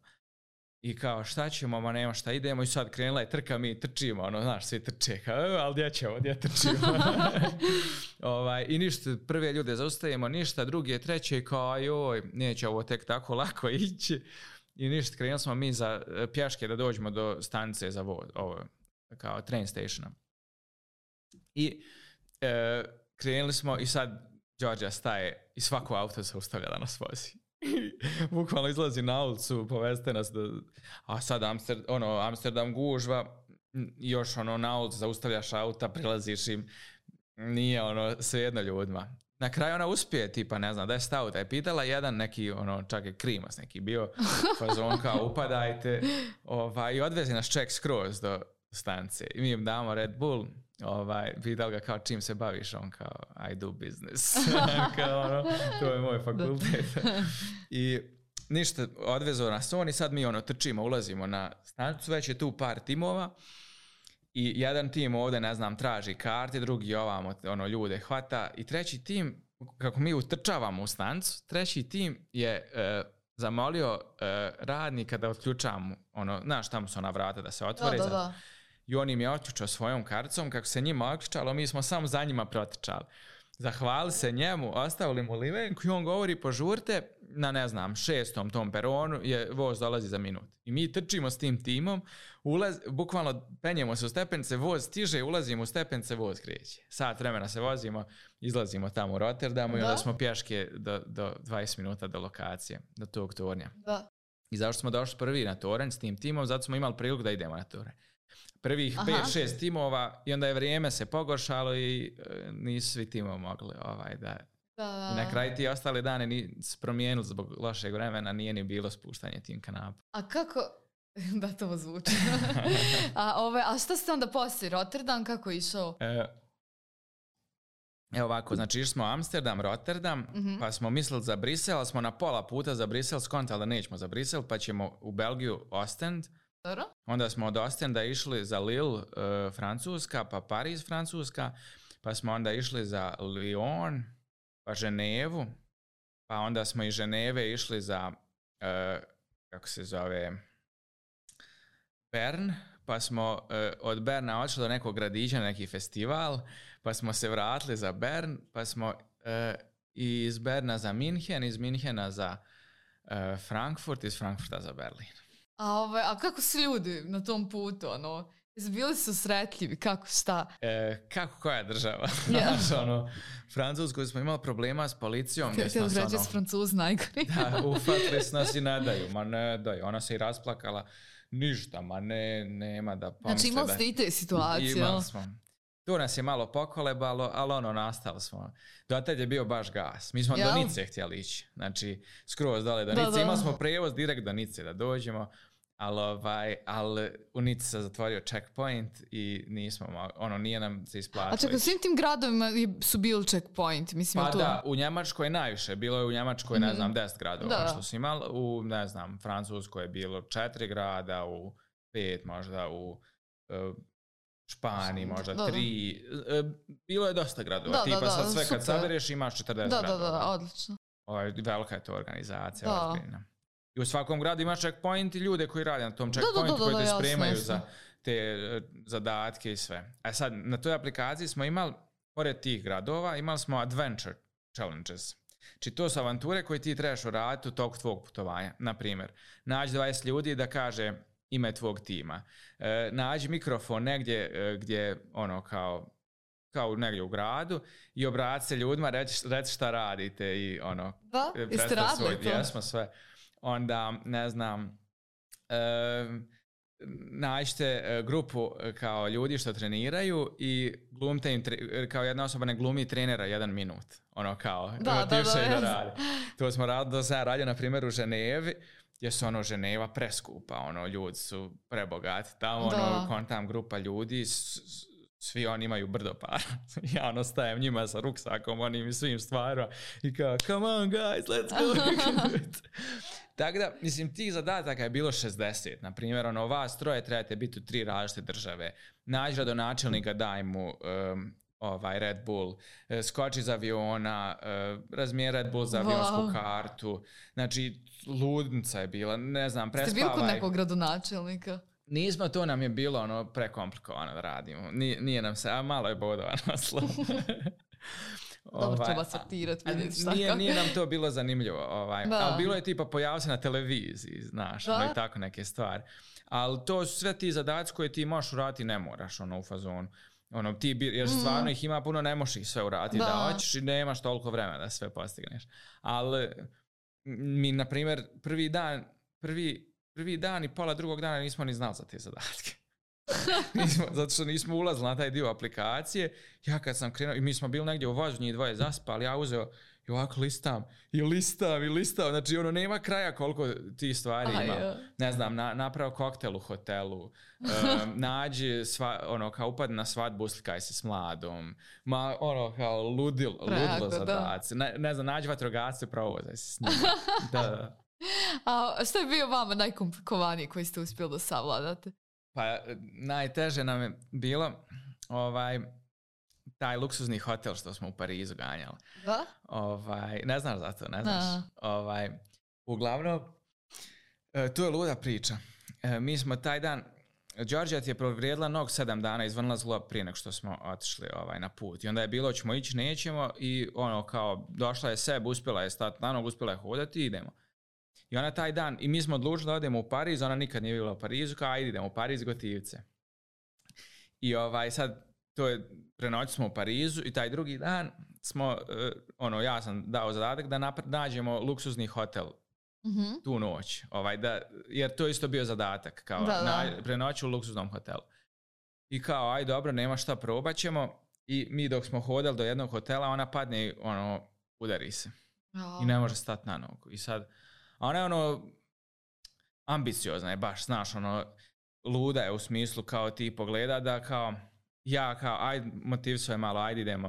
I kao, šta ćemo, nema šta idemo, i sad krenula je trka, mi trčimo, svi trče, ali gdje trčimo? I ništa, prve ljude zaustavimo, ništa, drugi, treće, kao, joj, neće ovo tek tako lako ići. I ništa, krenuli smo mi za pješke da dođemo do stanice za voz, kao train stationa. I krenuli smo i sad Đorđa staje i svako auto se ustavlja da nas vozi. Bukvalno izlazi na ulicu, poveste nas a sad Amsterdam gužva, još na ulicu zaustavljaš auta, prilaziš im, nije svejedno ljudima. Na kraju ona uspije, tipa, ne znam, da je stao, da je pitala jedan neki, čak je Krimas neki bio, fazon kao upadajte, i odvezi nas ček skroz do stanice. I mi im damo Red Bull, pitali ga kao čim se baviš, on kao I do business. Kao, to je moj fakultet. I ništa, odvezo nas on i sad mi trčimo, ulazimo na stanicu, već je tu par timova i jedan tim ovdje, ne znam, traži karte, drugi ovamo ljude hvata i treći tim, kako mi utrčavamo u stanicu, treći tim je zamolio radnika da otključamo, znaš, tamo su ona vrata da se otvore. Da. I on im je otključao svojom karticom, kako se njima otključalo, mi smo samo za njima protrčali. Zahvali se njemu, ostavili mu limenku i on govori požurte na, ne znam, 6. tom peronu, voz dolazi za minut. I mi trčimo s tim timom, bukvalno penjemo se u stepence, voz stiže, ulazimo u stepence, voz kreće. Sat vremena se vozimo, izlazimo tamo u Rotterdamu i onda smo pješke do 20 minuta do lokacije, do tog tornja. Da. I zašto smo došli prvi na toranj s tim timom, zato smo imali priliku da idemo na toranj. Prvih 5-6 timova i onda je vrijeme se pogoršalo i nisu svi timovi mogli da. I na kraju ti ostale dane nisu promijenili zbog lošeg vremena, nije ni bilo spuštanje tim kanapa. A kako, da to zvuči. A šta ste onda poslije, Rotterdam, kako je išao? Evo ovako, znači išli smo Amsterdam, Rotterdam, pa smo mislili za Brisel, ali smo na pola puta za Brisel skontali da nećemo za Brisel, pa ćemo u Belgiju Ostend. Dobro. Onda smo od Ostenda išli za Lille, Francuska, pa Pariz, Francuska, pa smo onda išli za Lyon, pa Ženevu, pa onda smo iz Ženeve išli za, kako se zove, Bern, pa smo od Berna odšli do nekog gradića na neki festival, pa smo se vratili za Bern, pa smo iz Berna za Minhen, iz Minhena za Frankfurt, iz Frankfurta za Berlin. A kako su ljudi na tom putu, bili su sretljivi, kako šta? Kako koja država? Znaš, Francusku smo imali problema s policijom. Ti određe s Francuz najgori. Da, ufatili su nas i ne daju. Ma ne daju. Ona se i rasplakala. Ništa, ma nema da pomisle. Znači imali ste i te situacije. Imali smo. Tu nas je malo pokolebalo, ali nastali smo. Do tad je bio baš gas. Mi smo do Nice htjeli ići. Znači, skroz dole do Nice. Imali smo prevoz direkt do Nice da dođemo. Ali u Nici se zatvorio checkpoint i nismo, nije nam se isplatilo. A čekaj, u svim tim gradovima su bili checkpoint? Mislim, pa da, u Njemačkoj najviše. Bilo je u Njemačkoj, 10 gradova što su imali. U, Francuskoj je bilo 4 grada, u 5 možda, u Španiji možda 3. Bilo je dosta gradova. Tipa sad sve kad sabereš imaš 40 gradova. Da, odlično. Velika je to organizacija, ozbiljna. I u svakom gradu imaš checkpoint i ljude koji rade na tom checkpointu koji te spremaju za te zadatke i sve. A sad, na toj aplikaciji smo imali, pored tih gradova, imali smo adventure challenges. Znači, to su avanture koje ti trebaš uraditi u toku tvog putovanja. Naprimjer, nađi 20 ljudi da kaže ime tvog tima. Nađi mikrofon negdje gdje, kao negdje u gradu i obrati se ljudima, reći šta radite i jeste radili to? Jesmo sve. Onda, nađite grupu kao ljudi što treniraju i glumite im, kao jedna osoba ne glumi trenera 1 minut. Da radi. To smo radili, da sam radio, na primjer, u Ženevi, gdje su Ženeva preskupa, ljudi su prebogati. Tamo, tam grupa ljudi, svi oni imaju brdo para. Ja stajem njima sa ruksakom, onim i svim stvarima i kao, come on guys, let's go. Tako da, mislim, tih zadataka je bilo 60. Naprimjer, vas troje trebate biti u 3 različite države. Nađi gradonačelnika, daj mu Red Bull, skoči iz aviona, razmijeri Red Bull za avionsku kartu. Znači, ludnica je bila, prespavaj. Ste bili kod nekog gradonačelnika? Nismo, to nam je bilo prekomplikovano da radimo. Nije nam se, a malo je bodova naslov. Dobro, treba sortirati, vidjeti šta kako. Nije nam to bilo zanimljivo. Ali bilo je tipa pojavio se na televiziji, znaš, i tako neke stvari. Ali to su sve ti zadaci koje ti možeš uraditi, ne moraš u fazonu. Jer stvarno ih ima puno, ne možeš ih sve uraditi da hoćeš i nemaš toliko vremena da sve postigneš. Ali mi, na primjer, prvi dan i pola drugog dana nismo ni znali za te zadatke. Zato što nismo ulazili na taj dio aplikacije. Ja kad sam krenuo, i mi smo bili negdje u vozu, njih dvoje zaspali, ja uzeo i ovako listam. Znači, nema kraja koliko ti stvari ima. Napravo koktel u hotelu, nađi, kao upad na svadbu, uslikaj se s mladom, kao ludilo zadaci. Nađi vatrogasce, provozaj se s njima. Da. A što je bio vama najkomplikovaniji koji ste uspjeli da savladate? Pa najteže nam je bilo taj luksuzni hotel što smo u Parizu ganjali. Da? Ne znaš za to, ne znaš. Uglavnom, to je luda priča. Mi smo taj dan, Đorđa ti je provrijedila 7 dana, izvrnila zglob prije nego što smo otišli na put. I onda je bilo, ćemo ići, nećemo i kao došla je sebe, uspjela je stati na nogu, uspjela je hodati i idemo. I ona taj dan, i mi smo odlučili da odemo u Pariz, ona nikad nije bila u Parizu, kao ajde idemo u Pariz, gotivce. I sad, to je, prenoći smo u Parizu i taj drugi dan smo, ja sam dao zadatak da nađemo luksuzni hotel tu noć. Jer to je isto bio zadatak, kao prenoći u luksuznom hotelu. I kao, aj dobro, nema šta, probat ćemo. I mi dok smo hodali do jednog hotela, ona padne i udari se. I ne može stati na nogu. I sad, ona je ambiciozna je baš, znaš, luda je u smislu kao ti pogleda da kao, ja kao, ajde, motiv svoje malo, ajde idemo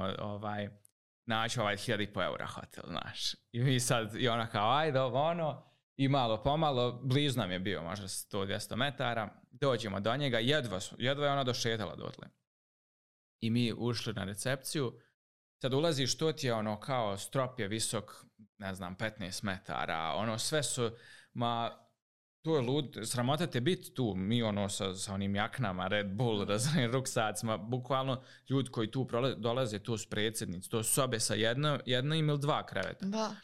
naći 1.500 eura hotel, znaš. I mi sad, i ona kao, ajde, i malo pomalo, blizu nam je bio, možda 100-200 metara, dođemo do njega, jedva je ona došetala dotle. I mi ušli na recepciju, sad ulaziš, to ti je kao strop je visok, ne znam, 15 metara, sve su, to je lud, sramota te biti tu, mi sa onim jaknama, Red Bull, raznim ruksacima, bukvalno ljudi koji tu dolaze, tu su predsjednici, to su sobe sa jednim ili 2 kreveta. Da.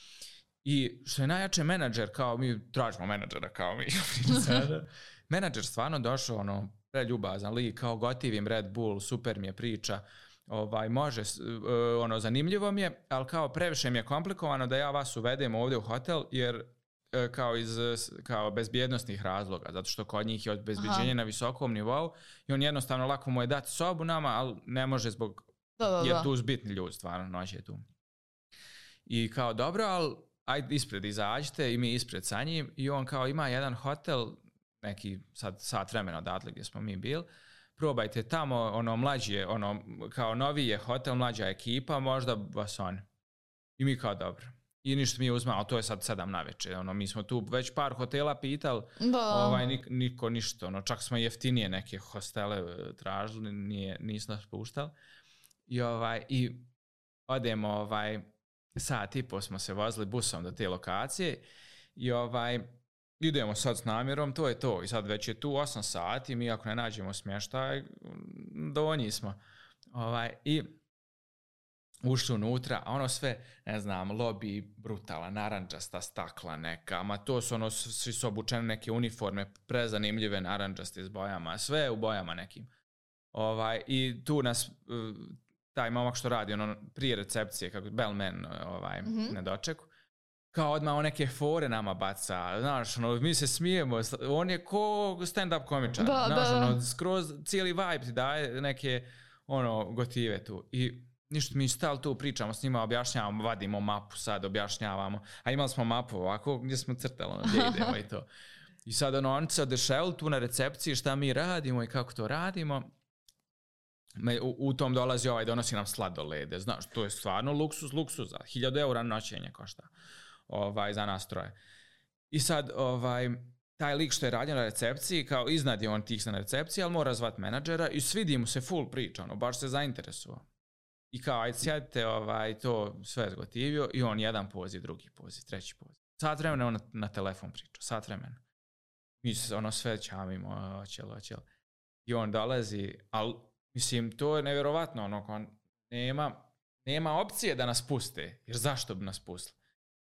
I što je najjače, menadžer, kao mi tražimo menadžera, kao mi. Menadžer stvarno došao, preljubazan lik, kao gotivim Red Bull, super mi je priča, može, zanimljivo mi je, ali kao previše mi je komplikovano da ja vas uvedem ovdje u hotel, jer kao bezbjednostnih razloga, zato što kod njih je obezbeđenje na visokom nivou i on jednostavno lako mu je dati sobu nama, ali ne može zbog, jer tu su bitni ljudi, stvarno, noć je tu. I kao dobro, ali ajde ispred izađite i mi ispred sa njim i on kao ima jedan hotel, neki sad sat vremena odatle gdje smo mi bili, probajte tamo, mlađi kao noviji je hotel, mlađa ekipa, možda vas on. I mi kao dobro. I ništa mi uzmao, to je sad 7 navečer, mi smo tu već par hotela pitali, niko ništa, čak smo jeftinije neke hostele tražili, nisu nas puštali. I odemo, sat i po smo se vozili busom do te lokacije i idemo sad s namjerom, to je to. I sad već je tu 8 sati, mi ako ne nađemo smještaj, donji smo. I ušli unutra, a sve, ne znam, lobby brutala, naranđasta stakla neka, ma to su svi su obučene neke uniforme, prezanimljive naranđaste s bojama, sve u bojama nekim. I tu nas, taj momak što radi, prije recepcije, kako bellman, ne dočeku, kao odmah neke fore nama baca, znaš, mi se smijemo, on je ko stand-up komičar, znaš, skroz cijeli vibe ti daje neke, gotive tu. I ništa, mi stali tu, pričamo s njima, objašnjavamo, vadimo mapu sad, objašnjavamo, a imali smo mapu ovako gdje smo crtali, gdje idemo i to. I sad oni se odešavili tu na recepciji šta mi radimo i kako to radimo. U tom dolazi donosi nam sladolede, znaš, to je stvarno luksuza, 1.000 eura noćenje košta za nas troje. I sad, taj lik što je radio na recepciji, kao iznad je on tih na recepciji, ali mora zvati menadžera i svidi mu se full priča, baš se zainteresovao. I kao, ajde sjedite, to sve zgotivio i on jedan poziv, drugi poziv, treći poziv. Sat vremena on na telefon priča, sat vremena. Mi se sve čamimo, oćelo. I on dolazi, ali mislim, to je nevjerovatno, nema opcije da nas puste, jer zašto bi nas pustili?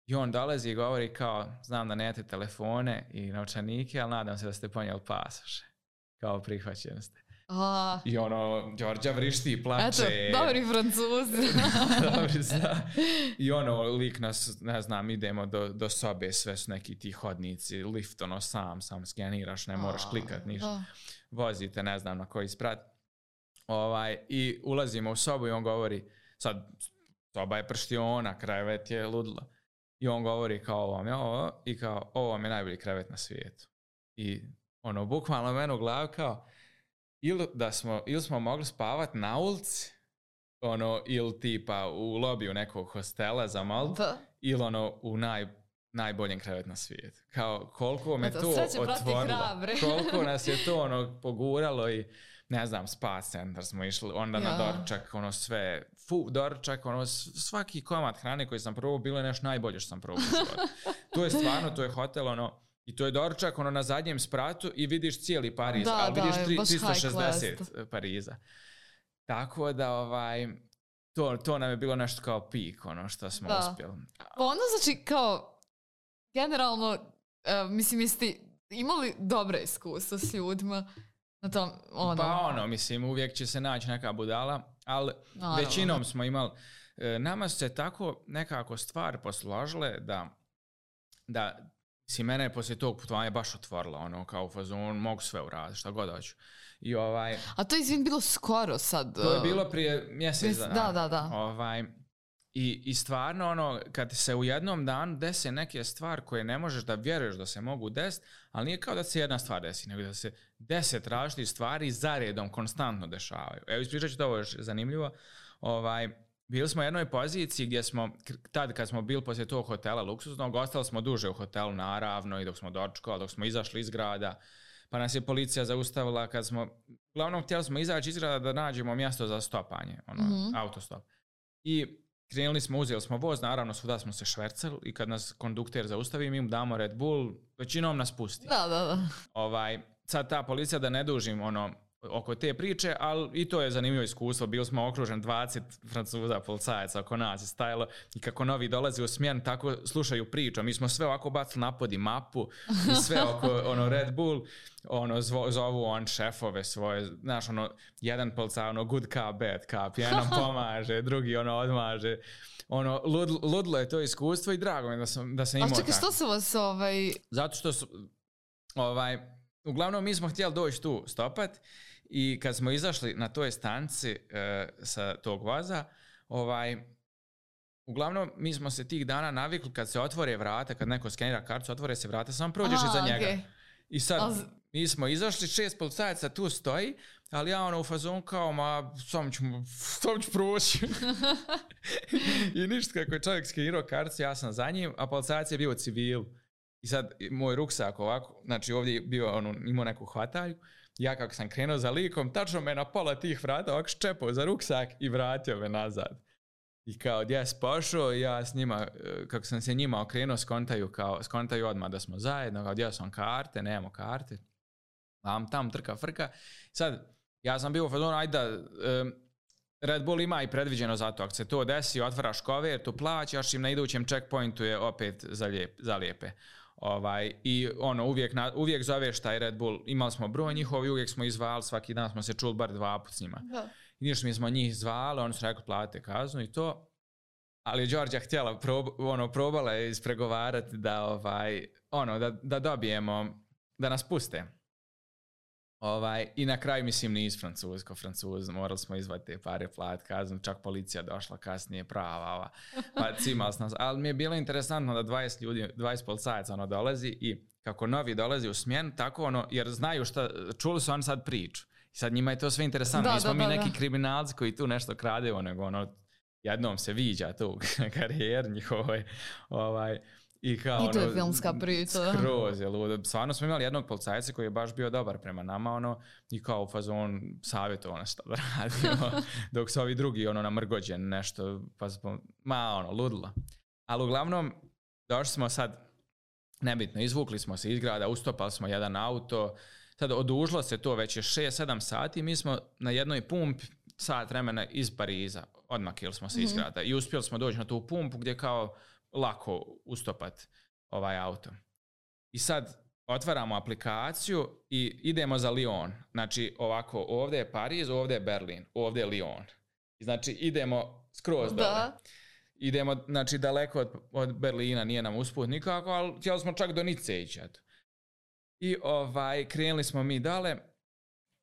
I on dolazi i govori kao, znam da nemate telefone i novčanike, ali nadam se da ste ponijeli pasoše. Kao prihvaćeni ste. I Đorđa vrišti i plače. Eto, dobri Francuzi. Dobri, zna. I lik nas, ne znam, idemo do sobe, sve su neki ti hodnici, lift, sam skeniraš, ne moraš klikat ništa. Vozite, ne znam na koji sprat. I ulazimo u sobu i on govori, sad soba je prštiona, krevet je ludilo. I on govori kao ovo vam je ovo i kao ovo vam je najbolji krevet na svijetu. I bukvalno mene u glavi kao ili smo mogli spavati na ulici, ili tipa u lobiju nekog hostela za Maltu, ili u najboljem krevet na svijetu. Kao koliko me to otvorilo, koliko nas je to poguralo i ne znam, spa centar smo išli, onda na doručak, sve, doručak, svaki komad hrane koji sam probao, bilo je nešto najbolje što sam probao. To je stvarno, to je hotel, i to je doručak, na zadnjem spratu i vidiš cijeli Pariz, ali vidiš 360 Pariza. Tako da, to nam je bilo nešto kao pik, što smo uspjeli. Znači, kao, generalno, mislim, jeste imali dobre iskustva s ljudima? Mislim, uvijek će se naći neka budala, ali većinom smo imali, nama se tako nekako stvari posložile da si mene poslije tog putovanja baš otvorila, kao u fazonu, mogu sve uraditi, šta god hoću. A to je bilo skoro sad? To je bilo prije mjesec dana. Da. I stvarno, kad se u jednom danu dese neke stvari koje ne možeš da vjeruješ da se mogu desiti, ali nije kao da se jedna stvar desi, nego da se 10 različitih stvari zaredom konstantno dešavaju. Evo, ispričat ću to, ovo još zanimljivo. bili smo u jednoj poziciji gdje smo, tad kad smo bili poslije tog hotela luksuznog, ostali smo duže u hotelu naravno i dok smo dočekali, dok smo izašli iz grada, pa nas je policija zaustavila kad smo, uglavnom htjeli smo izaći iz grada da nađemo mjesto za stopanje, autostop. I krenuli smo, uzeli smo voz, naravno svuda smo se švercali i kad nas kondukter zaustavi, mi mu damo Red Bull, većinom nas pusti. Da. Sad ta policija, da ne dužim oko te priče, ali i to je zanimljivo iskustvo. Bili smo okruženi 20 Francuza, policajaca oko nas je stajalo i kako novi dolazi u smjen, tako slušaju priču. Mi smo sve ovako bacili na pod i mapu i sve oko Red Bull, zovu šefove svoje, znaš, jedan policaj, good cop, bad cop, jedan pomaže, drugi odmaže. Ludilo je to iskustvo i drago mi da sam imao tako. A čekaj, što su vas Zato što su, uglavnom mi smo htjeli doći tu stopat i kad smo izašli na toj stanci sa tog voza, uglavnom mi smo se tih dana navikli kad se otvore vrata, kad neko skenira kartu, otvore se vrata, samo prođeš iza njega. Okay. I sad mi smo izašli, 6 policajaca tu stoji, ali ja u fazonu kao, sam ću proći. I ništa, kako je čovjek skenirao kartu, ja sam za njim, a policajac je bio civil. I sad moj ruksak ovako, znači ovdje je bio, imao neku hvatalju, ja kako sam krenuo za likom, tačno me na pola tih vrata ovako ščepao za ruksak i vratio me nazad. I kao gdje si pošao, ja s njima, kako sam se njima okrenuo, skontaju odmah da smo zajedno, kao gdje sam karte, nemamo karte, tam trka frka. Sad, ja sam bio u fazonu, ajde Red Bull ima i predviđeno za to, ako se to desi, otvaraš kover, tu plaćaš im, na idućem checkpointu je opet zalijepe. I uvijek zoveš taj Red Bull, imali smo broj njihovi, uvijek smo izvali, svaki dan smo se čuli bar 2 puta s njima. Da. I ništa mi smo njih zvali, oni su rekli platite kaznu i to, ali Đorđa htjela, probala je ispregovarati da dobijemo, da nas puste. I na kraju, mislim, nisu Francuz, morali smo izvati te pare, platiti kaznu, čak policija došla kasnije, prava, pa cimali nas. Ali mi je bilo interesantno da 20 ljudi, 20 policajaca dolazi i kako novi dolazi u smjenu, tako jer znaju čuli su oni sad priču. I sad njima je to sve interesantno. Nismo mi neki kriminalci koji tu nešto kradevo, nego jednom se viđa tu karijer njihovoj, I to je filmska priča. Skroz je ludo. Stvarno smo imali jednog policajca koji je baš bio dobar prema nama, i kao u fazon savjetovao nas što da radimo, dok su ovi drugi namrgođen nešto, ludilo. Ali uglavnom, došli smo sad, nebitno, izvukli smo se iz grada, ustopali smo jedan auto, sad odužilo se to, već je 6-7 sati, mi smo na jednoj pumpi sat vremena iz Pariza, odmakili smo se iz grada i uspjeli smo doći na tu pumpu gdje kao lako ustopat ovaj auto. I sad otvaramo aplikaciju i idemo za Lyon. Znači ovako, ovdje je Pariz, ovdje je Berlin, ovdje je Lyon. I znači idemo skroz dole. Idemo, znači daleko od Berlina, nije nam usput nikako, ali htjeli smo čak do Nice ići. I krenuli smo mi dole,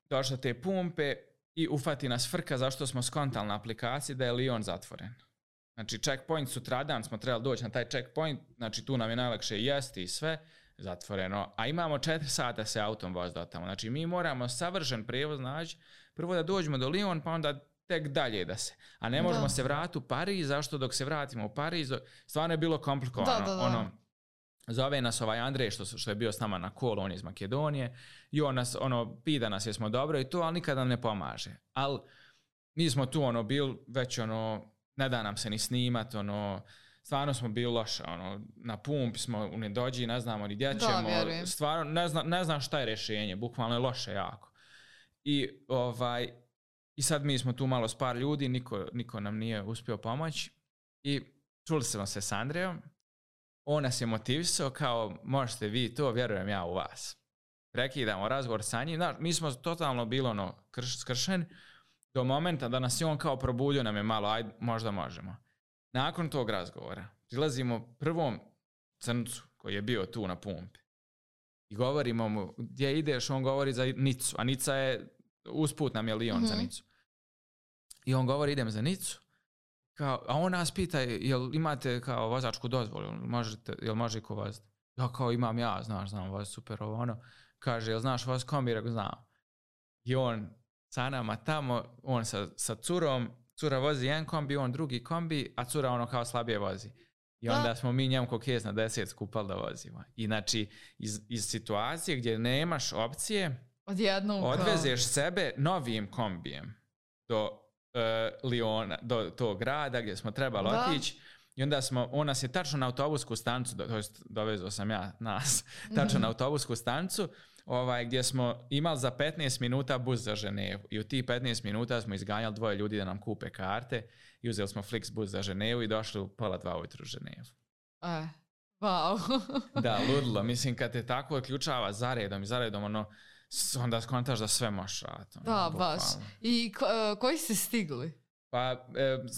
došli te pumpe i ufati nas frka zašto smo skontali na aplikaciji da je Lyon zatvoren. Znači, checkpoint sutradan smo trebali doći na taj checkpoint, znači tu nam je najlakše jesti i sve, zatvoreno, a imamo 4 sata se autom voz do tamo. Znači, mi moramo savršen prijevoz naći, prvo da dođemo do Lyon, pa onda tek dalje da se. A ne možemo se vratiti u Pariz, zašto dok se vratimo u Pariz, stvarno je bilo komplikovano. Zove nas Andrej što je bio s nama na kolu, on je iz Makedonije, i on nas, pita nas jesmo dobro i to, ali nikada nam ne pomaže. Ali mi smo tu bili već ne da nam se ni snimat, stvarno smo bili loše, na pumpi smo u nedođi, ne znamo ni gdje ćemo, stvarno ne znam šta je rješenje, bukvalno je loše jako. I sad mi smo tu malo s par ljudi, niko nam nije uspio pomoći i čuli smo se s Andrejom, on nas je motivisao kao možete vi to, vjerujem ja u vas. Prekidamo razgovor sa njim, mi smo totalno bili skršeni, do momenta da nas je on kao probudio nam je malo, ajde, možda možemo. Nakon tog razgovora prilazimo prvom crncu koji je bio tu na pumpi i govorimo mu gdje ideš, on govori za Nicu, a Nica je, usput nam je Lyon za Nicu. I on govori idem za Nicu, a on nas pita jel imate kao vozačku dozvolu, jel može ko voziti? Ja kao imam znam voziti, super kaže jel znaš voziti kombir, ako znam. I on sa nama tamo, on sa curom cura vozi jedan kombi, on drugi kombi, a cura ono kao slabije vozi. I onda smo mi njemu ko kez na 10 skupali da vozimo. I znači iz situacije gdje nemaš opcije, odvezeš sebe novim kombijem do Liona, do tog grada gdje smo trebali otići. I onda on nas je tačno na autobusku stanicu, to jest dovezao sam ja nas, tačno na autobusku stanicu, gdje smo imali za 15 minuta bus za Ženevu. I u tih 15 minuta smo izganjali 2 ljudi da nam kupe karte i uzeli smo Flix bus za Ženevu i došli u 1:30 ujutru u Ženevu. Wow. Da, ludilo. Mislim, kad te tako odključava zaredom, onda skontaš da sve možeš raditi. Da, baš. I koji ste stigli? Pa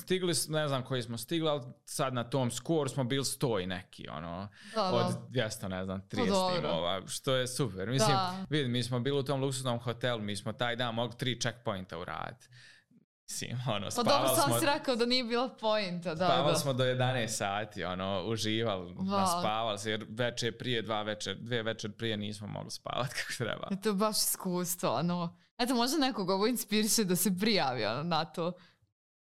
stigli, ne znam koji smo stigli, ali sad na tom skoru smo bili 100 i neki, od 200, ne znam, 30 timova, što je super. Mislim, vidi, mi smo bili u tom luksuznom hotelu, mi smo taj dan mogli 3 checkpointa uraditi. Mislim, spavali smo... dobro, sam si rekao da nije bilo pointa. Spavali smo do 11 sati, uživali, naspavali se, jer večer prije, 2 večer prije nismo mogli spavati kako treba. To je baš iskustvo, Eto, možda nekog ovo inspiriše da se prijavi na to.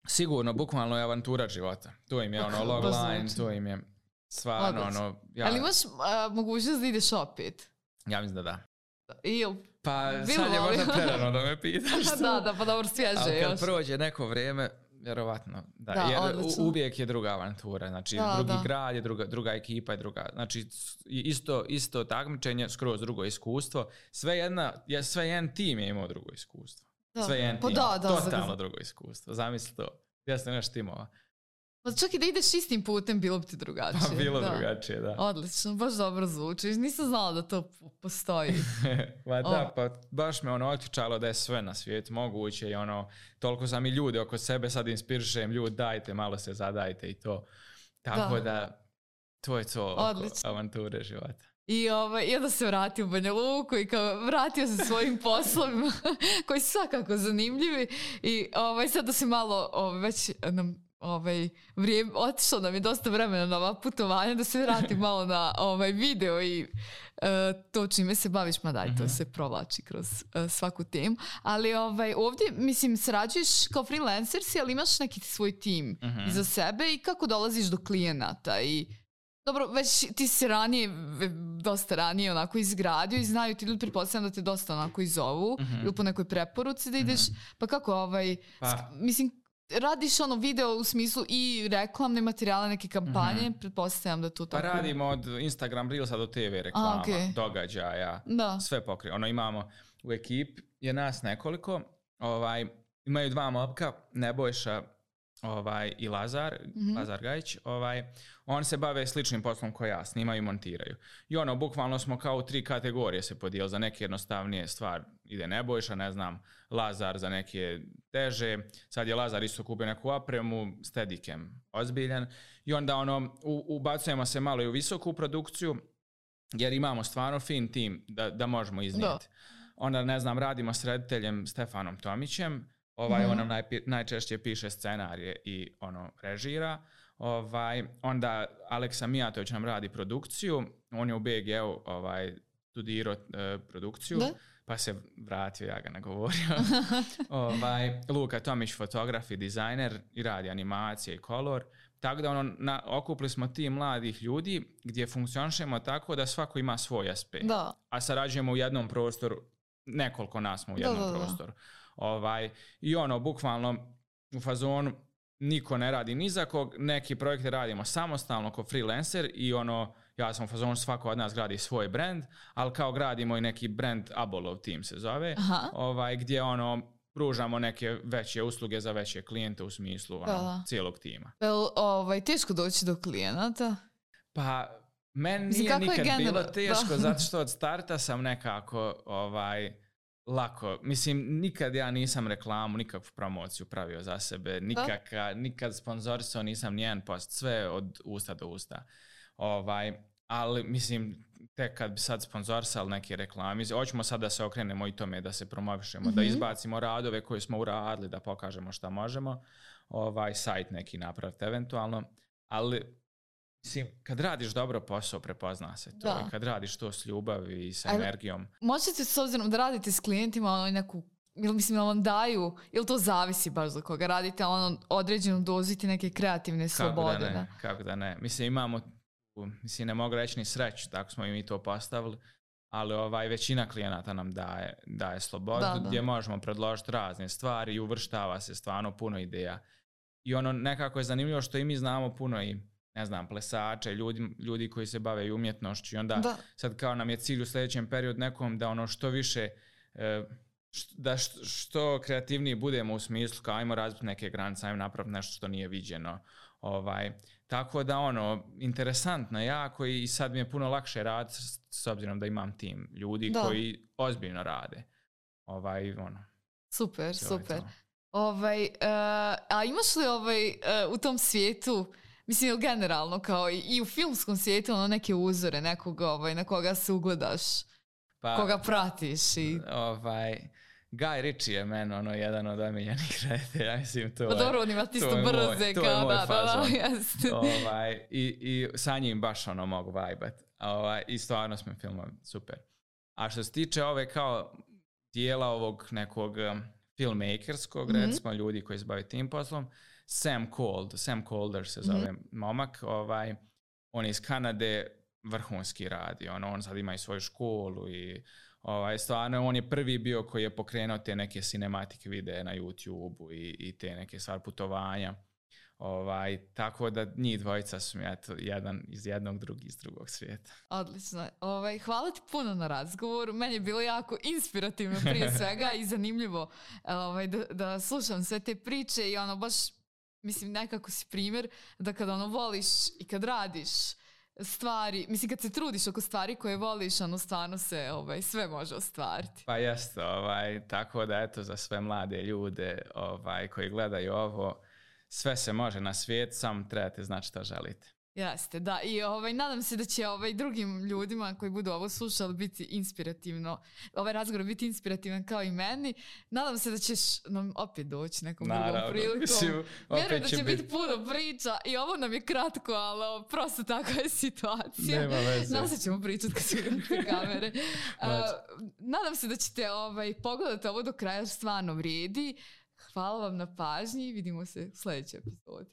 Sigurno, bukvalno je avantura života. To im je logline, to im je stvarno Ali imaš mogućnost da ideš opet? Ja mislim da da. Ili? Pa sad je možda prerano da me pitaš. Da, pa dobro, svježe ali još. Kad prođe neko vrijeme, vjerovatno. Da, jer uvijek je druga avantura. Znači, drugi grad je druga ekipa je druga. Znači, isto takmičenje, skroz drugo iskustvo. Sve jedan tim je imao drugo iskustvo. Sve jedan tim. Totalno drugo iskustvo. Zamisli to. Ja sam naš timova. Pa čak i da ideš istim putem, bilo bi ti drugačije. Pa bilo drugačije, da. Odlično, baš dobro zvuči. Nisam znala da to postoji. Pa baš me otključalo da je sve na svijetu moguće i toliko sam i ljudi oko sebe sad inspirišem, ljudi dajte, malo se zadajte i to. Tako da to je to oko avanture života. I onda se vratio u Banja Luku i vratio se svojim poslovima koji su svakako zanimljivi i sad da se malo već nam vrijeme, otišlo nam je dosta vremena na ova putovanja, da se vratim malo na video i to čime se baviš, ma daj, to se provlači kroz svaku temu. Ali ovdje, mislim, sarađuješ kao freelancer si, ali imaš neki svoj tim iza sebe i kako dolaziš do klijenata i dobro, već ti si dosta ranije onako izgradio i znaju ti ljudi, pretpostavljam da te dosta onako i zovu ili po nekoj preporuci da ideš, pa kako mislim, radiš video u smislu i reklamne materijale, neke kampanje, pretpostavljam da to tako... Pa radimo od Instagram Reelsa do TV reklama, događaja, sve pokriva. Imamo u ekipi, je nas nekoliko, imaju 2 momka, Nebojša i Lazar Gajić, oni se bave sličnim poslom koji ja, snimaju i montiraju. I bukvalno smo kao u 3 kategorije se podijeli, za neke jednostavnije stvar ide Nebojša, ne znam, Lazar za neke teže, sad je Lazar isto kupio neku opremu, Steadicam ozbiljan i onda ubacujemo se malo i u visoku produkciju jer imamo stvarno fin tim da možemo iznijeti. Onda, ne znam, radimo s rediteljem Stefanom Tomićem, on nam najčešće piše scenarije i režira. Onda Aleksa Mijatović nam radi produkciju, on je u BG-u studirao produkciju, pa se vratio, ja ga nagovorio. Luka Tomić, fotograf i dizajner i radi animacije i kolor. Tako da okupili smo tim mladih ljudi gdje funkcionišemo tako da svako ima svoj aspekt. A sarađujemo u jednom prostoru, nekoliko nas smo u jednom prostoru. I bukvalno u fazonu niko ne radi ni za kog, neki projekte radimo samostalno kao freelancer i ja sam u fazonu svako od nas gradi svoj brand, ali kao gradimo i neki brand Abolov Team se zove, gdje pružamo neke veće usluge za veće klijente u smislu cijelog tima. Teško doći do klijenata? Pa meni nije nikad bilo teško zato što od starta sam nekako lako. Mislim, nikad ja nisam reklamu, nikakvu promociju pravio za sebe, nikad sponzorisao nisam nijedan post, sve od usta do usta. Ali, mislim, tek kad bi sad sponzorisali neke reklame, hoćemo sad da se okrenemo i tome da se promovišemo, da izbacimo radove koje smo uradili, da pokažemo šta možemo, sajt neki napraviti eventualno, ali mislim, kad radiš dobro posao, prepozna se to. I kad radiš to s ljubavi i s energijom. Možete, s obzirom da radite s klijentima, neku mislim, vam daju, ili to zavisi baš za koga radite, ono, određenu doziti neke kreativne slobode. Kako da ne. Mislim, imamo, ne mogu reći ni sreću, tako smo i mi to postavili, ali većina klijenata nam daje slobodu, gdje možemo predložiti razne stvari i uvrštava se stvarno puno ideja. I ono nekako je zanimljivo što i mi znamo puno i, ne znam, plesače, ljudi koji se bave i umjetnošću i onda sad kao nam je cilj u sljedećem periodu nekom da ono što više, da što kreativniji budemo u smislu kao ajmo razbiti neke granice, ajmo napraviti nešto što nije viđeno. Tako da interesantno jako i sad mi je puno lakše raditi s obzirom da imam tim ljudi koji ozbiljno rade. Super. A imaš li u tom svijetu, mislim generalno kao i u filmskom svijetu neke uzore, nekog na koga se ugledaš, koga pratiš? Guy Ritchie je meni jedan od omiljenih reditelja, mislim to je. Dobro, on ima tisto brze kao to je moj fazon. I sa njim baš mogu vajbat. I stvarno smo filmovi super. A što se tiče kao dijela ovog nekog filmmakerskog, recimo ljudi koji se bave tim poslom, Sam Calder se zove momak, on je iz Kanade, vrhunski radi, on sad ima i svoju školu i stvarno on je prvi bio koji je pokrenuo te neke cinematic videe na YouTube-u i te neke stvar putovanja. Tako da njih dvojica su mi jedan iz jednog, drugi iz drugog svijeta. Odlično. Hvala ti puno na razgovoru. Meni je bilo jako inspirativno prije svega i zanimljivo da slušam sve te priče i baš, mislim, nekako si primjer da kad voliš i kad radiš stvari, mislim kad se trudiš oko stvari koje voliš, stvarno se sve može ostvariti. Pa jeste, tako da eto za sve mlade ljude koji gledaju ovo, sve se može na svijet, samo trebate znati šta želite. Jeste, da. I nadam se da će drugim ljudima koji budu ovo slušali biti inspirativno, ovaj razgovor biti inspirativan kao i meni. Nadam se da ćeš nam opet doći nekom drugom prilikom. Vjerujem da će biti puno priča i ovo nam je kratko, ali prosto takva je situacija. Nema veze. Nadam se da ćemo pričati kad se ugasite kamere. Nadam se da ćete pogledati ovo do kraja, stvarno vrijedi. Hvala vam na pažnji i vidimo se u sljedećoj epizodi.